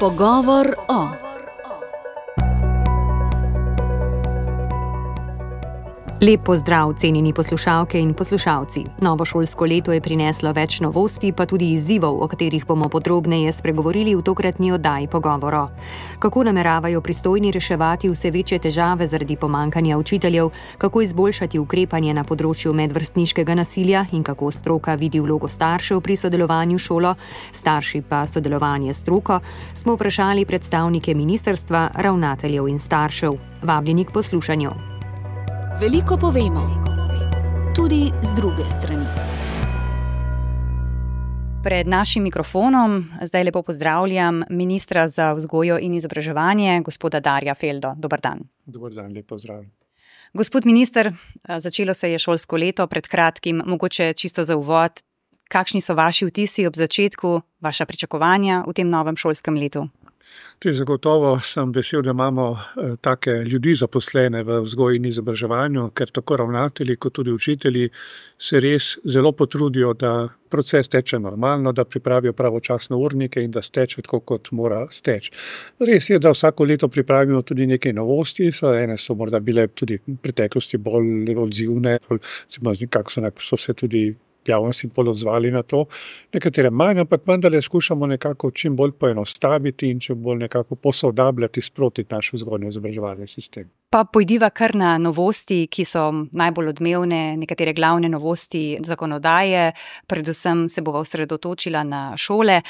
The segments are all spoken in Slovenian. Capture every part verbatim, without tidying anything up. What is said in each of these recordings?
Pogovor o. Lep pozdrav, cenjeni poslušalke in poslušalci. Novo šolsko leto je prineslo več novosti, pa tudi izzivov, o katerih bomo podrobneje spregovorili v tokratni oddaji Pogovoro. Kako nameravajo pristojni reševati vse večje težave zaradi pomanjkanja učiteljev, kako izboljšati ukrepanje na področju medvrstniškega nasilja in kako stroka vidi vlogo staršev pri sodelovanju s šolo, starši pa sodelovanje s stroko, smo vprašali predstavnike ministrstva, ravnateljev in staršev. Vabljeni k poslušanju. Veliko povemo, tudi z druge strani. Pred našim mikrofonom zdaj lepo pozdravljam ministra za vzgojo in izobraževanje, gospoda Darja Feldo. Dober dan. Dober dan, lep pozdrav. Gospod minister, začelo se je šolsko leto pred kratkim, mogoče čisto za uvod. Kakšni so vaši vtisi ob začetku, vaša pričakovanja v tem novem šolskem letu? Tudi zagotovo sem vesel, da imamo eh, take ljudi zaposlene v vzgoji in izobraževanju, ker tako ravnatelji kot tudi učitelji se res zelo potrudijo, da proces teče normalno, da pripravijo pravočasno urnike in da steče tako, kot mora steči. Res je, da vsako leto pripravimo tudi nekaj novosti, so ene so morda bile tudi v preteklosti bolj odzivne, nekako so, so se tudi javnosti bolj odzvali na to, nekatere manj, ampak vendarle skušamo nekako čim bolj poenostaviti in čim bolj nekako posodabljati sproti naš vzgojno-izobraževalni sistem. Pa pojdiva kar na novosti, ki so najbolj odmevne, nekatere glavne novosti zakonodaje, predvsem se bova osredotočila na šole.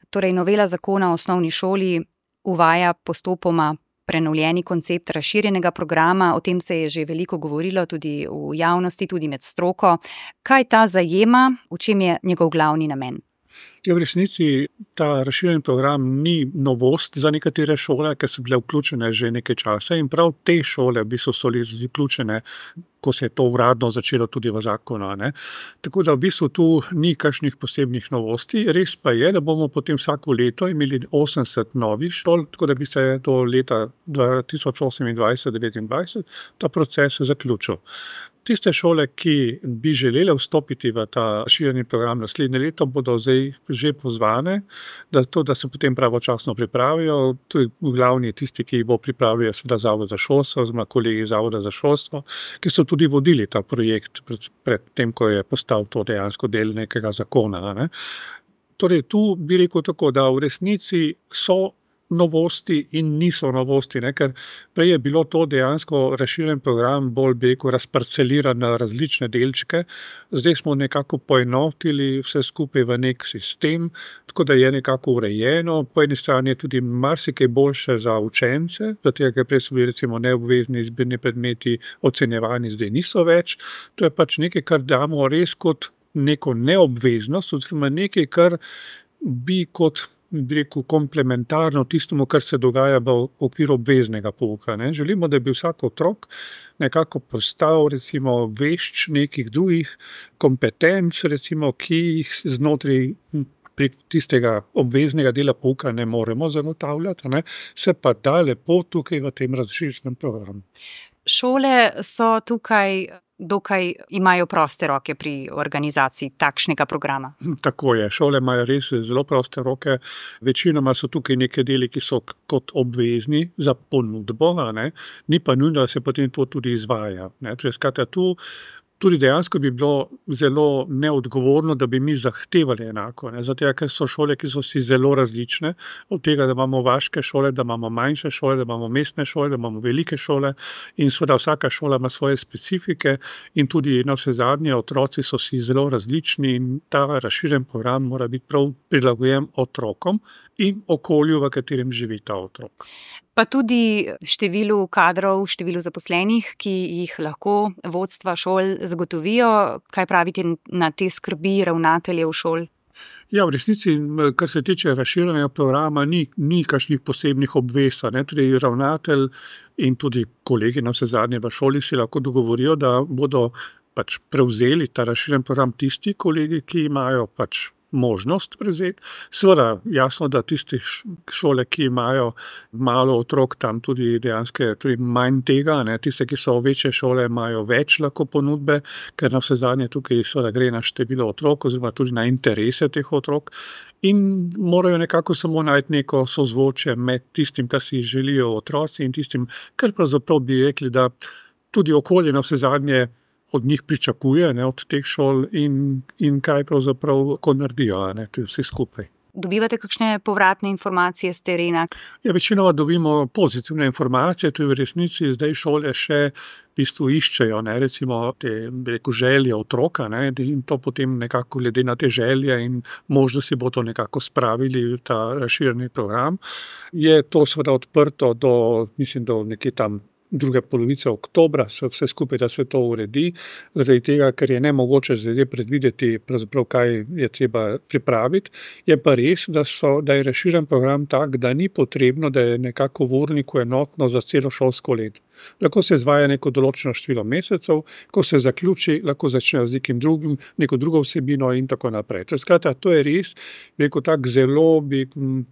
Torej, novela zakona o osnovni šoli uvaja postopoma prenovljeni koncept razširjenega programa, o tem se je že veliko govorilo tudi v javnosti, tudi med stroko. Kaj ta zajema, v čem je njegov glavni namen? Ja, v resnici ta razširjeni program ni novost za nekatere šole, ker so bile vključene že nekaj časa in prav te šole v bistvu so vključene, ko se je to uradno začelo tudi v zakonu. Ne? Tako da v bistvu tu ni kakšnih posebnih novosti. Res pa je, da bomo potem vsako leto imeli osemdeset novih šol, tako da bi se do leta dva tisoč osemindvajset devetindvajset ta proces zaključil. Tiste šole, ki bi želele vstopiti v ta razširjeni program naslednje leto, bodo zdaj že pozvane, da, to, da se potem pravočasno pripravijo. Tudi glavni tisti, ki jih bo pripravil, je seveda Zavod za šolstvo, oziroma kolegi Zavoda za šolstvo, ki so tudi vodili ta projekt pred, pred tem, ko je postal to dejansko del nekega zakona. Ne? Torej, tu bi rekel tako, da v resnici so novosti in niso novosti, ne? Ker prej je bilo to dejansko razširjen program bolj beko razparceliran na različne delčke, zdaj smo nekako poenotili vse skupaj v nek sistem, tako da je nekako urejeno, po eni strani je tudi marsikaj boljše za učence, zato ker prej so bili recimo neobvezni izbirni predmeti ocenjevani, zdaj niso več, to je pač nekaj, kar damo res kot neko neobveznost, oziroma nekaj, kar bi kot bi rekel, komplementarno tistemu, kar se dogaja v okviru obveznega pouka. Ne? Želimo, da bi vsak otrok nekako postal recimo vešč nekih drugih kompetenc, recimo, ki jih znotraj pri tistega obveznega dela pouka ne moremo zagotavljati, ne? Se pa da lepo tukaj v tem razširjenem programu. Šole so tukaj dokaj imajo proste roke pri organizaciji takšnega programa. Tako je, šole imajo res zelo proste roke. Večinoma so tukaj neke deli, ki so kot obvezni za ponudbo, ne? Ni pa nujno, da se potem to tudi izvaja. Ne? Torej, skratka, tu tudi dejansko bi bilo zelo neodgovorno, da bi mi zahtevali enako. Ne? Zato, ker so šole, ki so si zelo različne, od tega, da imamo vaške šole, da imamo manjše šole, da imamo mestne šole, da imamo velike šole in seveda vsaka šola ima svoje specifike in tudi na vse zadnje otroci so si zelo različni in ta razširjen program mora biti prav prilagojen otrokom in okolju, v katerem živi ta otrok. Pa tudi številu kadrov, številu zaposlenih, ki jih lahko vodstva šol zagotovijo. Kaj pravite na te skrbi ravnateljev šol? Ja, v resnici, kar se tiče razširjenega programa, ni, ni kakšnih posebnih obvez. Torej, ravnatelj in tudi kolegi na vse zadnje v šoli si lahko dogovorijo, da bodo pač prevzeli ta razširjen program tisti kolegi, ki imajo pač možnost prevzeti. Seveda, jasno, da tistih šole, ki imajo malo otrok, tam tudi dejansko tudi manj tega, ne. Tiste, ki so večje šole, imajo več lahko ponudbe, ker navsezadnje tukaj seveda gre na število otrok oziroma tudi na interese teh otrok in morajo nekako samo najti neko sozvočje med tistim, kar si želijo otroci in tistim, kar pravzaprav bi rekli, da tudi okolje navsezadnje od njih pričakuje, ne, od teh šol in, in kaj pravzaprav ko naredijo, ne, to je vse skupaj. Dobivate kakšne povratne informacije z terena? Ja, večinoma dobimo pozitivne informacije, to je v resnici zdaj šole še v bistvu iščejo, ne, recimo te, bi rekel, želje otroka, ne, in to potem nekako glede na te želje in možnosti bo to nekako spravili v ta razširjeni program. Je to seveda odprto do, mislim, do nekje tam druge polovice oktobra, vse skupaj, da se to uredi, zaradi tega, ker je nemogoče zdaj predvideti, pravzaprav kaj je treba pripraviti. Je pa res, da, so, da je razširjen program tak, da ni potrebno, da je nekako v urniku enotno za celo šolsko leto. Lahko se izvaja neko določeno število mesecev, ko se zaključi, lahko začnejo z nekim drugim, neko drugo vsebino in tako naprej. Skratka, to je res, rekel tak zelo bi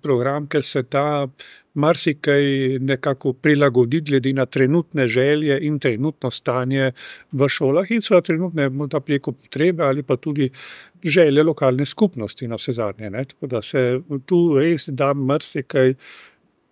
program, ker se ta marsikaj nekako prilagodi glede na trenutne želje in trenutno stanje v šolah in seveda trenutne morda preko potrebe ali pa tudi želje lokalne skupnosti navsezadnje, ne. Tako da se tu res da marsikaj,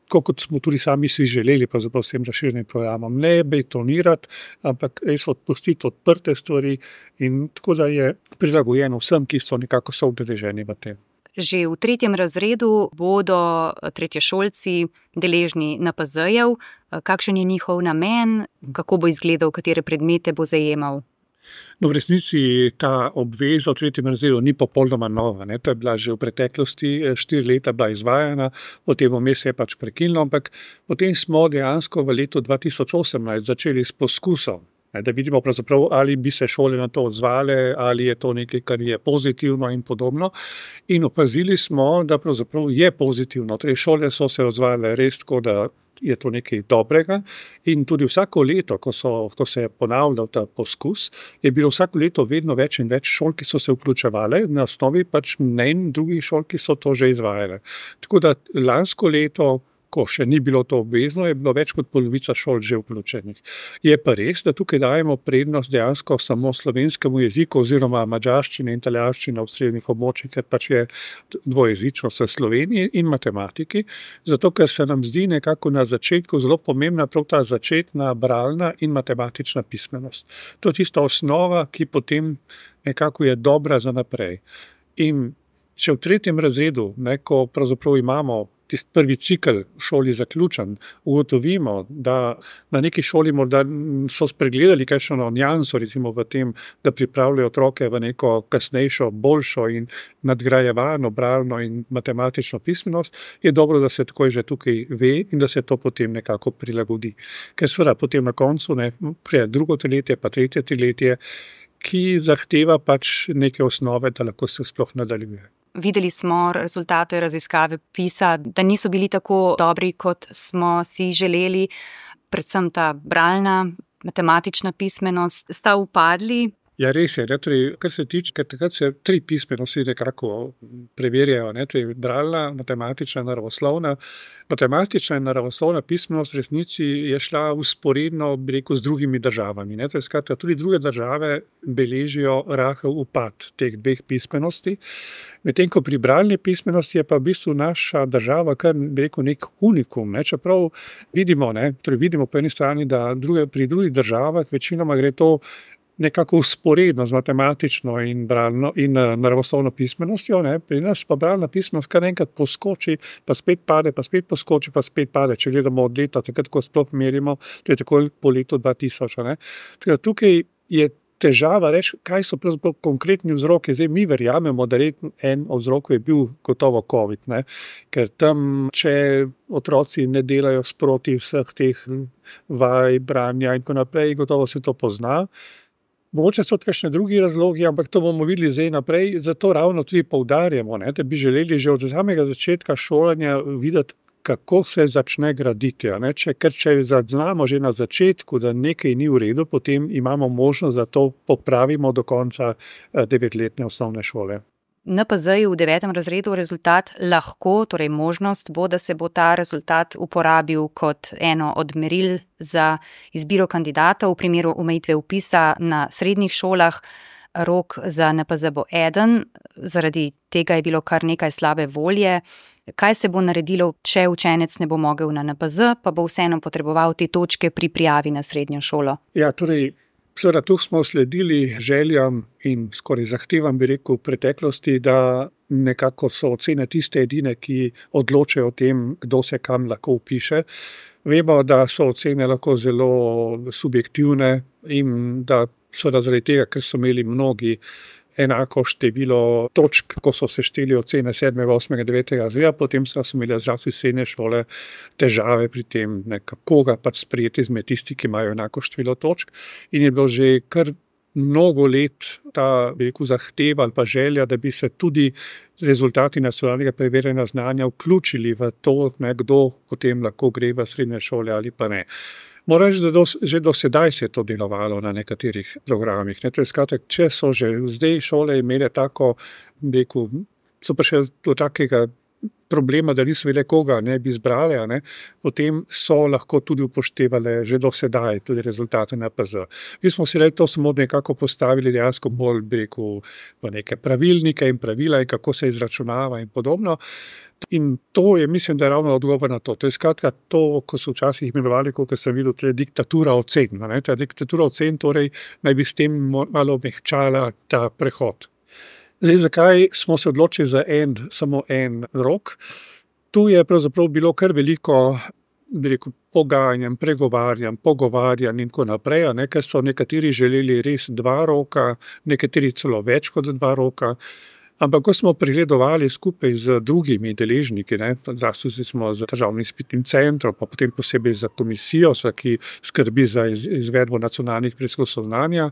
kot smo tudi sami si želeli, pravzaprav vsem razširjenim programom, ne betonirati, ampak res odpustiti odprte stvari in tako da je prilagojeno vsem, ki so nekako soudeleženi v tem. Že v tretjem razredu bodo tretješolci deležni N P Z-jev. Kakšen je njihov namen, kako bo izgledal, katere predmete bo zajemal? No, v resnici ta obveza v tretjem razredu ni popolnoma nova, ne. To je bila že v preteklosti, štiri leta bila izvajana, potem vmes se je pač prekinilo, ampak potem smo dejansko v letu dva tisoč osemnajst začeli s poskusom, da vidimo pravzaprav, ali bi se šole na to odzvale, ali je to nekaj, kar je pozitivno in podobno. In opazili smo, da pravzaprav je pozitivno. Torej, šole so se odzvale res tako, da je to nekaj dobrega in tudi vsako leto, ko, so, ko se je ponavljal ta poskus, je bilo vsako leto vedno več in več šol, ki so se vključevale na osnovi pač mnenj drugih šol, ki so to že izvajale. Tako da lansko leto, ko še ni bilo to obvezno, je bilo več kot polovica šol že vključenih. Je pa res, da tukaj dajemo prednost dejansko samo slovenskemu jeziku oziroma madžarščini in italijanščini v srednjih območjih, ker pač je dvojezičnost v Sloveniji in matematiki, zato ker se nam zdi nekako na začetku zelo pomembna prav ta začetna bralna in matematična pismenost. To je tista osnova, ki potem nekako je dobra za naprej. In če v tretjem razredu, ne, ko pravzaprav imamo tisti prvi cikel v šoli zaključen, ugotovimo, da na neki šoli morda so spregledali kakšno nianso, recimo v tem, da pripravljajo otroke v neko kasnejšo, boljšo in nadgrajevano bralno in matematično pismenost, je dobro, da se takoj že tukaj ve in da se to potem nekako prilagodi. Ker seveda potem na koncu ne, prije drugo triletje, pa tretje triletje, ki zahteva pač neke osnove, da lahko se sploh nadaljuje. Videli smo rezultate raziskave PISA, da niso bili tako dobri, kot smo si želeli, predvsem ta bralna, matematična pismenost. Sta upadli? Ja, res je, ne, torej, kar se tiče, ker takrat se tri pismenosti nekako preverjajo, ne, torej bralna, matematična in naravoslovna. Matematična in naravoslovna pismenost v resnici je šla vzporedno, bi rekel, z drugimi državami, ne, torej skratka, tudi druge države beležijo rahel upad teh dveh pismenosti, medtem ko pri bralni pismenosti je pa v bistvu naša država kar, bi rekel, nek unikum, ne, čeprav vidimo, ne, torej vidimo po eni strani, da druge, pri drugih državah večinoma gre to nekako vzporedno z matematično in bralno in naravoslovno pismenostjo, ne, pri nas pa bralna pismenost kar enkrat poskoči, pa spet pade, pa spet poskoči, pa spet pade, če gledamo od leta, takrat, ko sploh merimo, to je takoj po letu dva tisoč, ne. Tukaj, tukaj je težava reči, kaj so pravzaprav konkretni vzroki. Zdaj mi verjamemo, da en od vzrokov je bil gotovo covid, ne, ker tam, če otroci ne delajo sproti vseh teh vaj, branja in tako naprej, gotovo se to pozna. Mogoče so kakšni drugi razlogi, ampak to bomo videli zdaj naprej, zato ravno tudi poudarjamo, ne, da bi želeli že od samega začetka šolanja videti, kako se začne graditi. Ne, če, ker če zaznamo že na začetku, da nekaj ni v redu, potem imamo možnost, da to popravimo do konca devetletne osnovne šole. en pe zaju v devetem razredu rezultat lahko, torej možnost bo, da se bo ta rezultat uporabil kot eno od meril za izbiro kandidatov v primeru omejitve vpisa na srednjih šolah. Rok za en pe ze bo eden, zaradi tega je bilo kar nekaj slabe volje. Kaj se bo naredilo, če učenec ne bo mogel na en pe ze, pa bo vseeno potreboval te točke pri prijavi na srednjo šolo? Ja, torej, seveda tu smo sledili željam in skoraj zahtevam, bi rekel, v preteklosti, da nekako so ocene tiste edine, ki odločajo o tem, kdo se kam lahko vpiše. Vemo, da so ocene lahko zelo subjektivne in da seveda zaradi tega, ker so imeli mnogi enako število točk, ko so sešteli ocene sedmega, osmega, devetega razreda, potem so imeli zlasti srednje šole težave pri tem, nekako ga pač sprejeti izmed tisti, ki imajo enako število točk. In je bilo že kar mnogo let ta, bi rekel, zahteva ali pa želja, da bi se tudi rezultati nacionalnega preverjanja znanja vključili v to, ne, kdo potem lahko gre v srednje šole ali pa ne. Moram reči, da do, že do sedaj se je to delovalo na nekaterih programih. Ne, to je skratek, če so že zdaj šole imele tako, rekel, so pa še do takega problema, da niso vedele, koga ne bi izbrali, ne, potem so lahko tudi upoštevale že do sedaj tudi rezultate en pe ze. Mi smo si to samo nekako postavili dejansko bolj, bi rekel, v neke pravilnike in pravila in kako se izračunava in podobno. In to je, mislim, da je ravno odgovor na to. To je skratka to, ko so včasih imenovali, kot sem videl, to je diktatura ocen. Ne? Ta diktatura ocen torej naj bi s tem malo omehčala ta prehod. Zdaj, zakaj smo se odločili za en, samo en rok? Tu je pravzaprav bilo kar veliko, bi rekel, pogajanj, pregovarjanj, pogovarjanj in tako naprej, ne? Ker so nekateri želeli res dva roka, nekateri celo več kot dva roka. Ampak ko smo pregledovali skupaj z drugimi deležniki, ne, zlasti smo z državnim izpitnim centrom, pa potem posebej za komisijo, ki skrbi za izvedbo nacionalnih preizkusov znanja,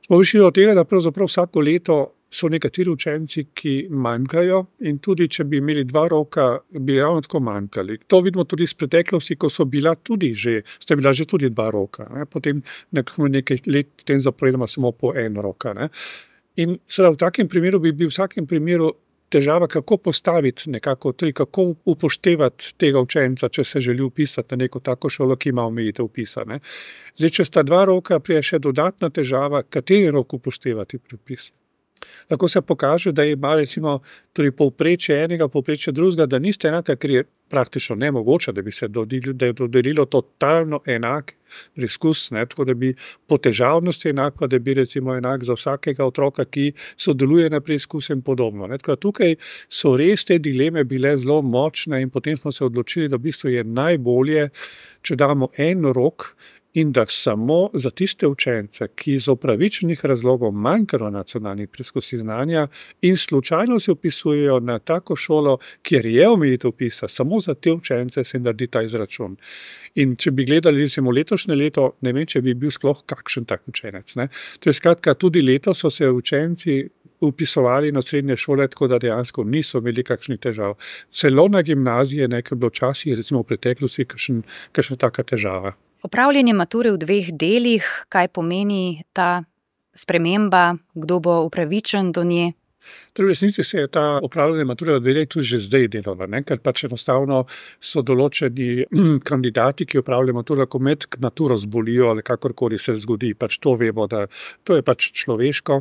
smo prišli do tega, da pravzaprav vsako leto so nekateri učenci, ki manjkajo in tudi, če bi imeli dva roka, bi ravno tako manjkali. To vidimo tudi iz preteklosti, ko so bila tudi že, sta bila že tudi dva roka, ne, potem nekaj let potem zaporedoma samo po en roka, ne. In seveda v takem primeru bi bil v vsakem primeru težava, kako postaviti nekako, tudi kako upoštevati tega učenca, če se želi vpisati na neko tako šolo, ki ima omejitev vpisa. Ne. Zdaj, če sta dva roka, prije še dodatna težava, kateri rok upoštevati pri vpisu. Lahko se pokaže, da ima recimo tudi povprečje enega, povprečje drugega, da niste enaka, ker je praktično nemogoče, da bi se dodelilo, da je dodelilo totalno enak preizkus, ne, tako da bi po težavnosti enako, da bi recimo enak za vsakega otroka, ki sodeluje na preizkusu in podobno. Ne. Tako da tukaj so res te dileme bile zelo močne in potem smo se odločili, da v bistvu je najbolje, če damo en rok, in da samo za tiste učence, ki iz upravičenih razlogov manjkajo nacionalnih preizkusih znanja in slučajno se vpisujejo na tako šolo, kjer je omejitev vpisa, samo za te učence se naredi ta izračun. In če bi gledali recimo letošnje leto, ne vem, če bi bil sploh kakšen tak učenec. Ne? To je skratka, tudi leto so se učenci vpisovali na srednje šole, tako da dejansko niso imeli kakšnih težav. Celo na gimnazije nekaj bilo včasih, recimo v preteklosti, kakšen, kakšna taka težava. Opravljanje mature v dveh delih, kaj pomeni ta sprememba, kdo bo upravičen do nje? Torej, v resnici se je ta opravljanje mature v dveh delih tudi že zdaj delala, ne? Ker pač enostavno so določeni kandidati, ki opravljajo maturo, lahko med maturo zbolijo ali kakorkoli se zgodi, pač to vemo, da to je pač človeško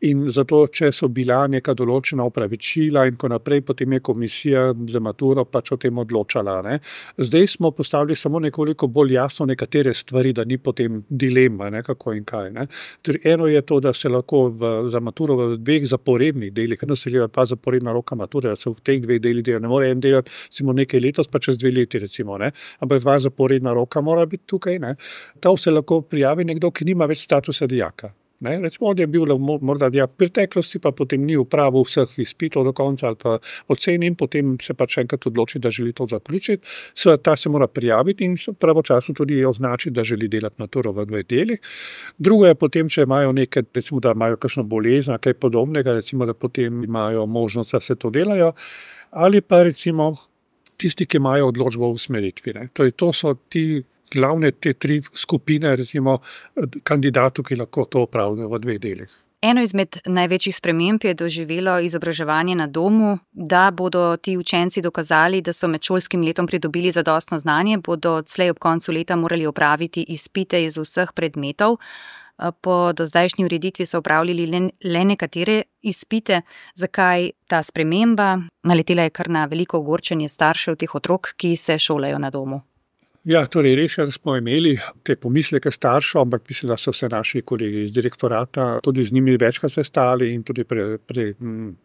in zato, če so bila neka določena opravičila in ko naprej, potem je komisija za maturo pač o tem odločala. Ne? Zdaj smo postavili samo nekoliko bolj jasno nekatere stvari, da ni potem dilema, ne? Kako in kaj. Ne? Torej, eno je to, da se lahko v, za maturo v dveh zaporednih delih, ker se gleda pa zaporedna roka mature, da se v teh dveh delih dela. Ne more en delati recimo nekaj letos, pa čez dve leti recimo, ne. Ampak dva zaporedna roka mora biti tukaj, ne. To se lahko prijavi nekdo, ki nima več statusa dijaka. Ne, recimo, on je bil morda dijak v preteklosti, pa potem ni upravil vseh izpitov do konca ali pa ocen in potem se pač enkrat odloči, da želi to zaključiti. Seveda ta se mora prijaviti in pravočasno tudi označiti, da želi delati maturo v dveh delih. Drugo je potem, če imajo nekaj, recimo, da imajo kakšno bolezen, kaj podobnega, recimo, da potem imajo možnost, da se to delajo, ali pa recimo tisti, ki imajo odločbo o usmeritvi. Ne. Torej, to so ti glavne te tri skupine, recimo, kandidatov, ki lahko to opravljajo v dveh delih. Eno izmed največjih sprememb je doživelo izobraževanje na domu. Da bodo ti učenci dokazali, da so med šolskim letom pridobili zadostno znanje, bodo odslej ob koncu leta morali opraviti izpite iz vseh predmetov. Po dozdajšnji ureditvi so opravljali le, le nekatere izpite. Zakaj ta sprememba? Naletela je kar na veliko ogorčenje staršev teh otrok, ki se šolajo na domu. Ja, torej res je, da smo imeli te pomisleke staršev, ampak mislim, da so se naši kolegi iz direktorata tudi z njimi večkrat sestali in tudi pre, pre,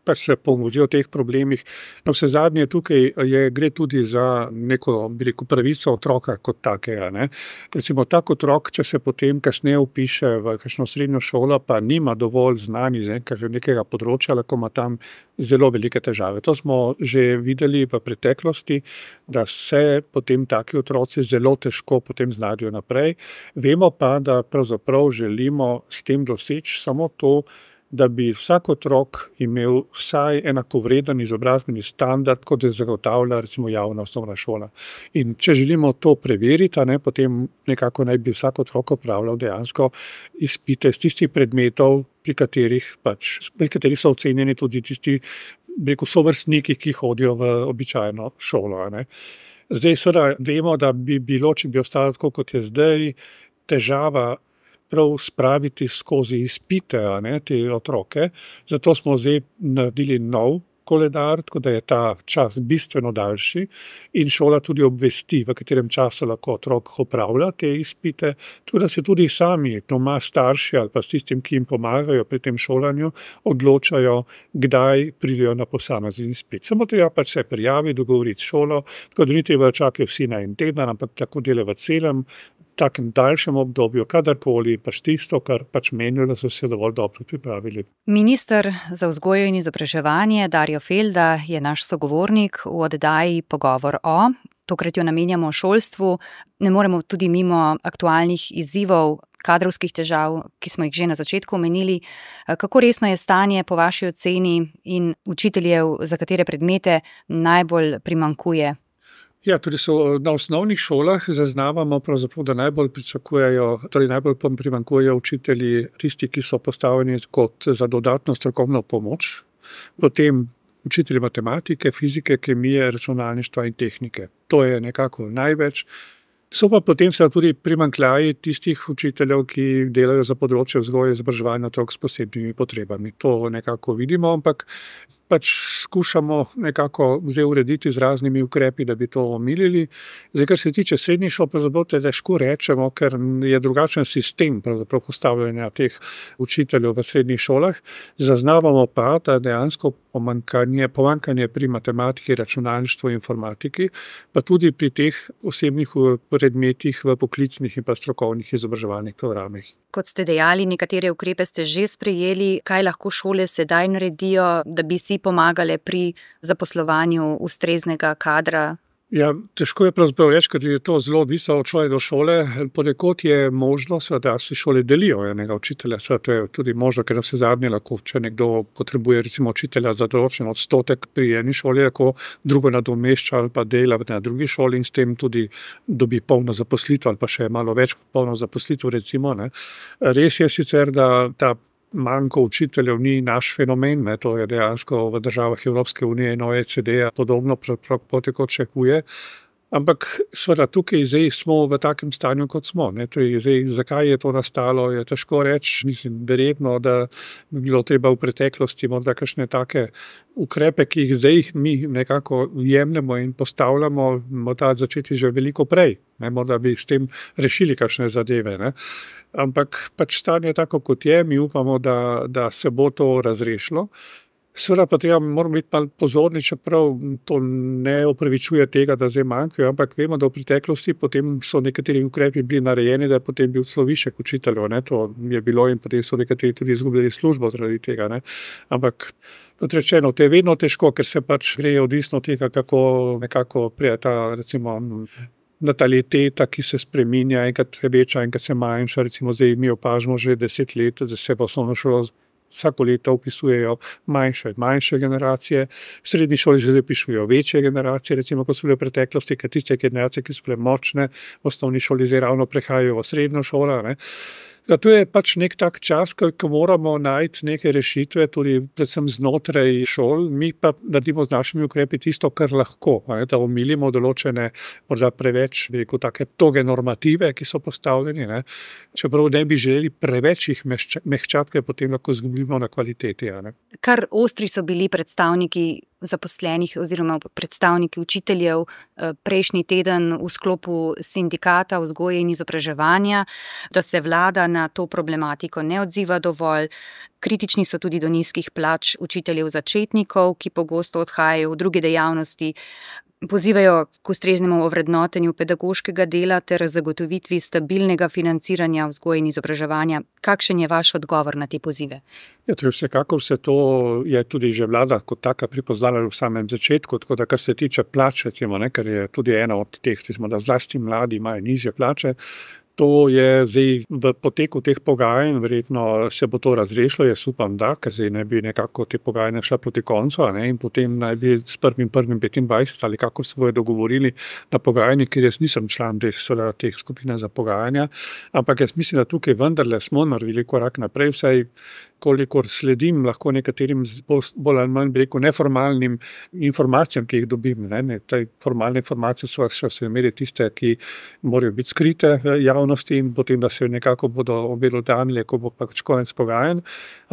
pa se pogovorijo o teh problemih. No, vse zadnje tukaj je, gre tudi za neko, bi rekel, pravico otroka kot takega, ne. Recimo tak otrok, če se potem kasneje vpiše v kakšno srednjo šolo, pa nima dovolj znanj iz nekega področja, lahko ima tam zelo velike težave. To smo že videli v preteklosti, da se potem taki otroci zelo težko potem znajdejo naprej. Vemo pa, da pravzaprav želimo s tem doseči samo to, da bi vsak otrok imel vsaj enakovreden izobrazbeni standard, kot je zagotavlja recimo javna osnovna šola. In če želimo to preveriti, ne, potem nekako naj bi vsak otrok opravljal dejansko izpite z tistih predmetov, pri katerih, pač, pri katerih so ocenjeni tudi tisti, bi rekel, sovrstniki, ki hodijo v običajno šolo, ne. Zdaj seveda vemo, da bi bilo, če bi ostalo tako, kot je zdaj, težava prav spraviti skozi izpite, ne, te otroke. Zato smo zdaj naredili nov koledar, tako da je ta čas bistveno daljši in šola tudi obvesti, v katerem času lahko otrok opravlja te izpite, tako da se tudi sami doma starši ali pa s tistim, ki jim pomagajo pri tem šolanju, odločajo, kdaj pridejo na posamezni izpit. Samo treba pač se prijaviti, dogovoriti s šolo, tako da ni treba čakati vsi na en teden, ampak tako dela v celem takem daljšem obdobju, kadarkoli pač tisto, kar pač menijo, da so se dovolj dobro pripravili. Minister za vzgojo in izobraževanje Darjo Felda je naš sogovornik v oddaji Pogovor o. Tokrat jo namenjamo šolstvu. Ne moremo tudi mimo aktualnih izzivov, kadrovskih težav, ki smo jih že na začetku omenili. Kako resno je stanje po vaši oceni in učiteljev, za katere predmete najbolj primanjkuje? Ja, tudi so na osnovnih šolah zaznavamo pravzaprav, da najbolj pričakujejo, torej najbolj primanjkujejo učitelji tisti, ki so postavljeni kot za dodatno strokovno pomoč, potem učitelji matematike, fizike, kemije, računalništva in tehnike. To je nekako največ. So pa potem se tudi primanjkljaji tistih učiteljev, ki delajo za področje vzgoje in izobraževanja otrok s posebnimi potrebami. To nekako vidimo, ampak pač skušamo nekako zdaj urediti z raznimi ukrepi, da bi to omilili. Zdaj, kar se tiče srednjih šol, pravzaprav težko rečemo, ker je drugačen sistem pravzaprav postavljanja teh učiteljev v srednjih šolah. Zaznavamo pa, da dejansko pomanjkanje, pomanjkanje pri matematiki, računalništvu in informatiki, pa tudi pri teh osebnih predmetih v poklicnih in pa strokovnih izobraževalnih programih. Kot ste dejali, nekatere ukrepe ste že sprejeli. Kaj lahko šole sedaj naredijo, da bi si pomagale pri zaposlovanju ustreznega kadra? Ja, težko je pravzaprav reči, ker je to zelo odvisno od šole do šole. Ponekod je možno, da si šole delijo enega učitelja. To je tudi možno, ker vse zadnje lahko, če nekdo potrebuje recimo učitelja za določen odstotek pri eni šoli, lahko drugo nadomešča ali pa dela na drugi šoli in s tem tudi dobi polno zaposlitev ali pa še malo več kot polno zaposlitev, recimo, ne. Res je sicer, da ta manjko učiteljev ni naš fenomen, ne, to je dejansko v državah Evropske unije in O E C D-ja podobno potekočekuje. Ampak seveda tukaj zdaj smo v takem stanju, kot smo. Ne. Torej, zdaj, zakaj je to nastalo, je težko reči. Mislim, verjetno, da bi bilo treba v preteklosti morda kakšne take ukrepe, ki jih zdaj mi nekako jemljemo in postavljamo, morda začeti že veliko prej. Ne. Morda bi s tem rešili kakšne zadeve. Ne. Ampak pač stanje je tako, kot je. Mi upamo, da, da se bo to razrešilo. Seveda pa treba, moramo biti malo pozorni, čeprav to ne opravičuje tega, da zdaj manjkajo, ampak vemo, da v preteklosti potem so nekateri ukrepi bili narejeni, da je potem bil celo višek učiteljev, ne, to je bilo in potem so nekateri tudi izgubili službo zaradi tega, ne. Ampak kot rečeno, to je vedno težko, ker se pač gre odvisno od tega, kako nekako prije ta, recimo, nataliteta, ki se spreminja, enkrat se veča, enkrat se manjša, recimo zdaj mi opažamo že deset let, da se v osnovno šolo vsako leto vpisujejo manjše in manjše generacije, v srednji šoli se zdaj vpisujejo večje generacije, recimo ko so bile v preteklosti, ker tiste generacije, ki so bile močne, v osnovni šoli zdaj ravno prehajajo v srednjo šolo, ne. Zato je pač nek tak čas, ko moramo najti neke rešitve, tudi predvsem znotraj šol, mi pa naredimo z našimi ukrepi tisto, kar lahko, ne, da omilimo določene, morda preveč, bi rekel, take toge normative, ki so postavljeni, ne, čeprav ne bi želeli preveč jih mehčati, ker potem lahko izgubimo na kvaliteti. Ne. Kar ostri so bili predstavniki zaposlenih oziroma predstavniki učiteljev prejšnji teden v sklopu sindikata vzgoje in izobraževanja, da se vlada na to problematiko ne odziva dovolj. Kritični so tudi do nizkih plač učiteljev začetnikov, ki pogosto odhajajo v druge dejavnosti. Pozivajo k ustreznemu ovrednotenju pedagoškega dela ter zagotovitvi stabilnega financiranja vzgoje in izobraževanja. Kakšen je vaš odgovor na te pozive? Ja, torej vsekakor se to je tudi že vlada kot taka pripoznala v samem začetku, tako da kar se tiče plač, recimo, ne, ker je tudi ena od teh, recimo, da zlasti mladi imajo nižje plače. To je zdaj v poteku teh pogajanj, verjetno se bo to razrešilo, jaz upam, da, ker zdaj ne bi nekako te pogajanja šla proti koncu, ne, in potem naj bi s prvim prvim petindvajset ali kako se bojo dogovorili na pogajanjih, ker jaz nisem član teh, teh skupin za pogajanja, ampak jaz mislim, da tukaj vendarle smo naredili korak naprej, vsaj kolikor sledim lahko nekaterim bolj ali manj, bi rekel, neformalnim informacijam, ki jih dobim. Ne, ne, te formalne informacije so še vse imeli tiste, ki morajo biti skrite javnosti in potem, da se nekako bodo obelodanile, ko bo pač konec pogajanj.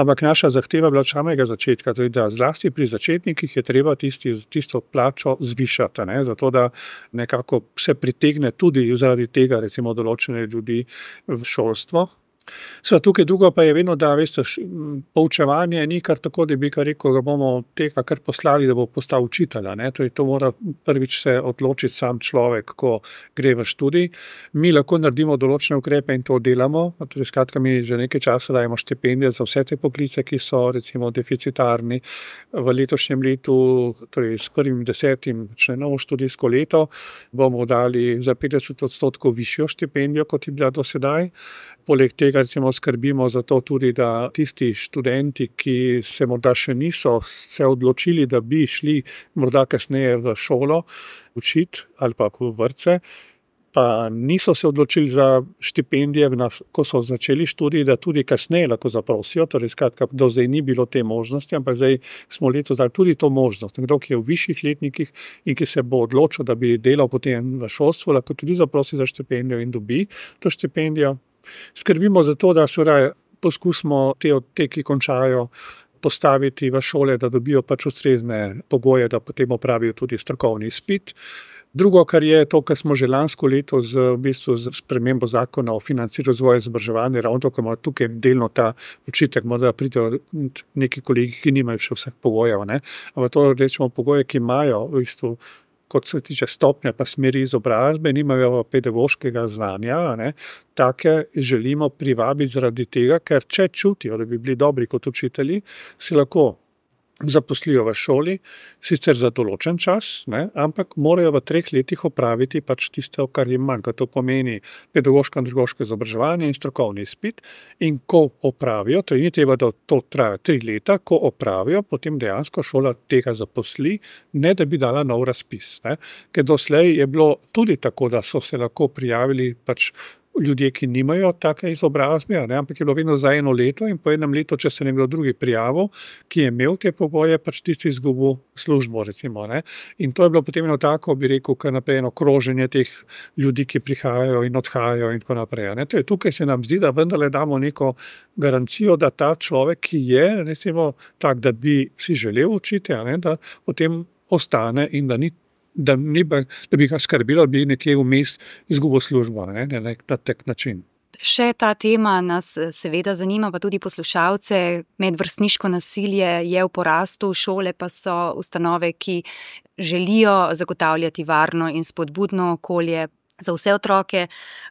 Ampak naša zahteva bila od samega začetka, tudi da zlasti pri začetnikih je treba tisti, tisto plačo zvišati, ne, zato da nekako se pritegne tudi zaradi tega, recimo, določene ljudi v šolstvo. Sva tukaj drugo pa je vedno, da veste, poučevanje ni kar tako, da bi kar rekel, da bomo tega kar poslali, da bo postal učitelja. Ne? To, to mora prvič se odločiti sam človek, ko gre v študij. Mi lahko naredimo določene ukrepe in to delamo. Torej, skratka, mi že nekaj časa dajemo štipendije za vse te poklice, ki so recimo deficitarni. V letošnjem letu, torej s prvim desetim, če novo študijsko leto, bomo dali za petdeset odstotkov višjo štipendijo, kot je bila do sedaj. Poleg tega recimo skrbimo za to tudi, da tisti študenti, ki se morda še niso se odločili, da bi šli morda kasneje v šolo učiti ali pa v vrtce, pa niso se odločili za štipendije, ko so začeli študij, da tudi kasneje lahko zaprosijo, torej skratka, do zdaj ni bilo te možnosti, ampak zdaj smo letos dali tudi to možnost. Nekdo, ki je v višjih letnikih in ki se bo odločil, da bi delal potem v šolstvu, lahko tudi zaprosi za štipendijo in dobi to štipendijo. Skrbimo za to, da se poskusimo te, te, ki končajo, postaviti v šole, da dobijo pač ustrezne pogoje, da potem opravijo tudi strokovni izpit. Drugo, kar je to, kar smo že lansko leto z, v bistvu, z spremembo zakona o financiranju razvoja izobraževanja, ravno to, ko ima tukaj delno ta očitek, morda pridejo neki kolegi, ki nimajo še vseh pogojev, ne? Ampak to rečemo pogoje, ki imajo v bistvu, kot se tiče stopnja pa smeri izobrazbe, nimajo pedagoškega znanja, ne, take želimo privabiti zaradi tega, ker če čutijo, da bi bili dobri kot učitelji, si lahko zaposlijo v šoli, sicer za določen čas, ne, ampak morajo v treh letih opraviti pač tisto, kar jim manjka. To pomeni pedagoško in drugoško izobraževanje in strokovni izpit. In ko opravijo, to ni treba, da to traja tri leta, ko opravijo, potem dejansko šola tega zaposli, ne da bi dala nov razpis. Ne. Ker doslej je bilo tudi tako, da so se lahko prijavili pač ljudje, ki nimajo take izobrazbe, ne, ampak je bilo vedno za eno leto in po enem letu, če se nekdo drugi prijavil, ki je imel te pogoje, pač tisti izgubil službo, recimo, ne. In to je bilo potem eno tako, bi rekel, kar naprej eno kroženje teh ljudi, ki prihajajo in odhajajo in tako naprej. Ne. To je tukaj se nam zdi, da vendarle damo neko garancijo, da ta človek, ki je, recimo, tak, da bi si želel učiti, ne, da potem ostane in da ni Da, ni, da bi ga skrbilo, da bi nekje vmes izgubil službo, ne, ne, na tak način. Še ta tema nas seveda zanima, pa tudi poslušalce. Medvrstniško nasilje je v porastu, šole pa so ustanove, ki želijo zagotavljati varno in spodbudno okolje za vse otroke.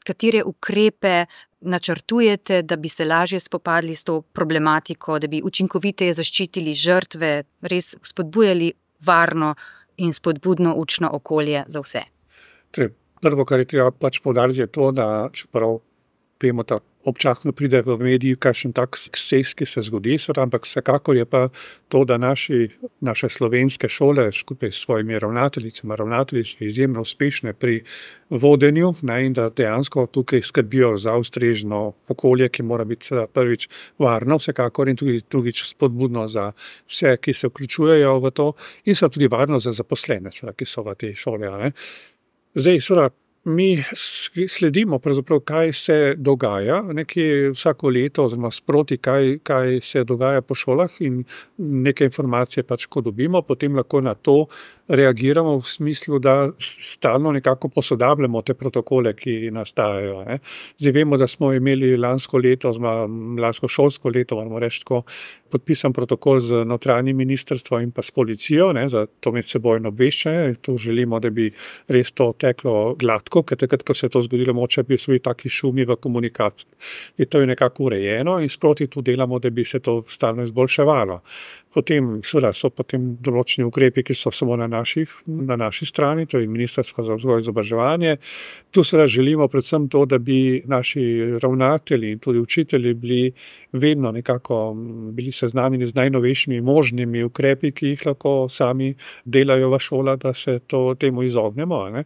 Katere ukrepe načrtujete, da bi se lažje spopadli s to problematiko, da bi učinkoviteje zaščitili žrtve, res spodbujali varno in spodbudno učno okolje za vse? Prvo, kar je treba pač poudariti, je to, da čeprav vemo, da občasno pride v mediji kakšen tak eksces, ki se zgodi, ampak vsekakor je pa to, da naši, naše slovenske šole skupaj s svojimi ravnateljicami, ravnatelji so izjemno uspešne pri vodenju, ne, in da dejansko tukaj skrbijo za ustrežno okolje, ki mora biti prvič varno, vsekakor in tudi drugič spodbudno za vse, ki se vključujejo v to, in so tudi varno za zaposlene, ki so v tej šoli. Ne. Zdaj, seveda, mi sledimo pravzaprav, kaj se dogaja, nekje vsako leto, oziroma sproti, kaj, kaj se dogaja po šolah in neke informacije pač, ko dobimo, potem lahko na to reagiramo v smislu, da stalno nekako posodabljamo te protokole, ki nastajajo. Ne. Zdaj vemo, da smo imeli lansko leto, oziroma lansko šolsko leto, moramo reči tako, podpisan protokol z notranjim ministrstvom in pa s policijo, ne, za to medsebojno obveščanje. To želimo, da bi res to teklo gladko, ker takrat, ko se je to zgodilo, moče bi bili taki šumi v komunikaciji. In to je nekako urejeno in sproti tu delamo, da bi se to stalno izboljševalo. Potem seveda so potem določeni ukrepi, ki so samo na, naših, na naši strani, to je Ministrstvo za vzgojo in izobraževanje. Tu seveda želimo predvsem to, da bi naši ravnatelji in tudi učitelji bili vedno nekako bili seznanjeni z najnovejšimi možnimi ukrepi, ki jih lahko sami delajo v šolah, da se to, temu izognemo. Ne?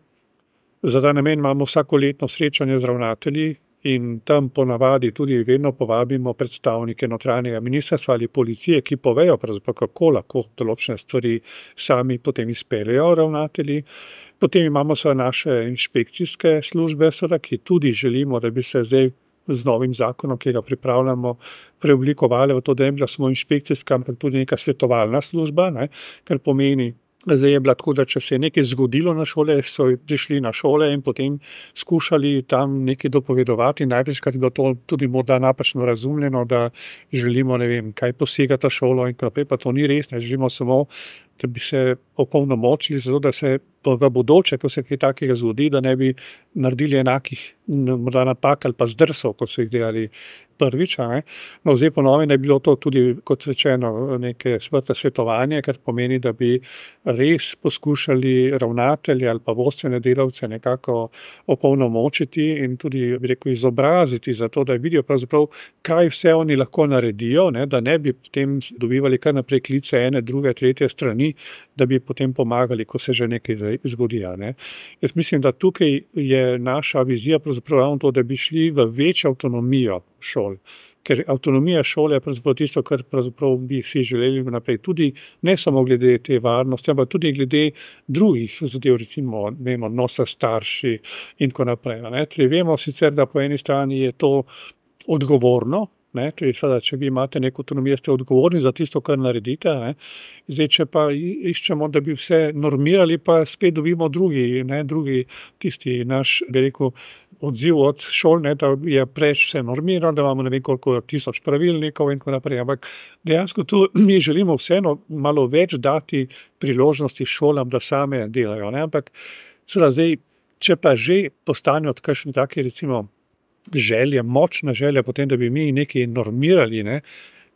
Za ta namen imamo vsakoletno srečanje z ravnatelji in tam ponavadi tudi vedno povabimo predstavnike notranjega ministrstva ali policije, ki povejo pravzaprav, kako lahko določene stvari sami potem izpeljejo ravnatelji. Potem imamo seveda naše inšpekcijske službe, seveda, ki tudi želimo, da bi se zdaj z novim zakonom, ki ga pripravljamo, preoblikovali v to, da je bila samo inšpekcijska, ampak tudi neka svetovalna služba, ne, kar pomeni, zdaj je bila tako, da če se je nekaj zgodilo na šole, so prišli na šole in potem skušali tam nekaj dopovedovati. Največkrat je bilo to tudi morda napačno razumljeno, da želimo, ne vem, kaj posega ta šolo in naprej, pa to ni res, ne želimo samo, da bi se opolnomočili, zato da se v bodoče, ko se kaj takega zgodi, da ne bi naredili enakih morda napak ali pa zdrsov, kot so jih delali prvič. Ne? No, zdaj po novem je bilo to tudi, kot rečeno, neke svrte svetovanje, kar pomeni, da bi res poskušali ravnatelje ali pa vodstvene delavce nekako opolnomočiti in tudi, bi rekel, izobraziti za to, da vidijo pravzaprav, kaj vse oni lahko naredijo, ne? Da ne bi potem dobivali kar naprej klice ene, druge, tretje strani, da bi potem pomagali, ko se že nekaj zgodi. Ne? Jaz mislim, da tukaj je naša vizija pravzaprav to, da bi šli v večjo avtonomijo šol. Ker avtonomija šole je pravzaprav tisto, kar pravzaprav bi si želeli naprej. Tudi ne samo glede te varnosti, ampak tudi glede drugih zadev, recimo vemo, odnosa starši in tako naprej. Ne? Torej, vemo sicer, da po eni strani je to odgovorno, ne? Torej, sada, če vi imate neko avtonomijo, ste odgovorni za tisto, kar naredite. Ne? Zdaj, če pa iščemo, da bi vse normirali, pa spet dobimo drugi, ne? drugi tisti naš, bi rekel, odziv od šol, ne, da je preč vse normirano, da imamo ne vem koliko tisoč pravilnikov in tako naprej. Ampak dejansko tu mi želimo vseeno malo več dati priložnosti šolam, da same delajo. Ne. Ampak seveda zdaj, če pa že postanejo kakšni taki recimo želje, močna želja potem, da bi mi nekaj normirali, ne,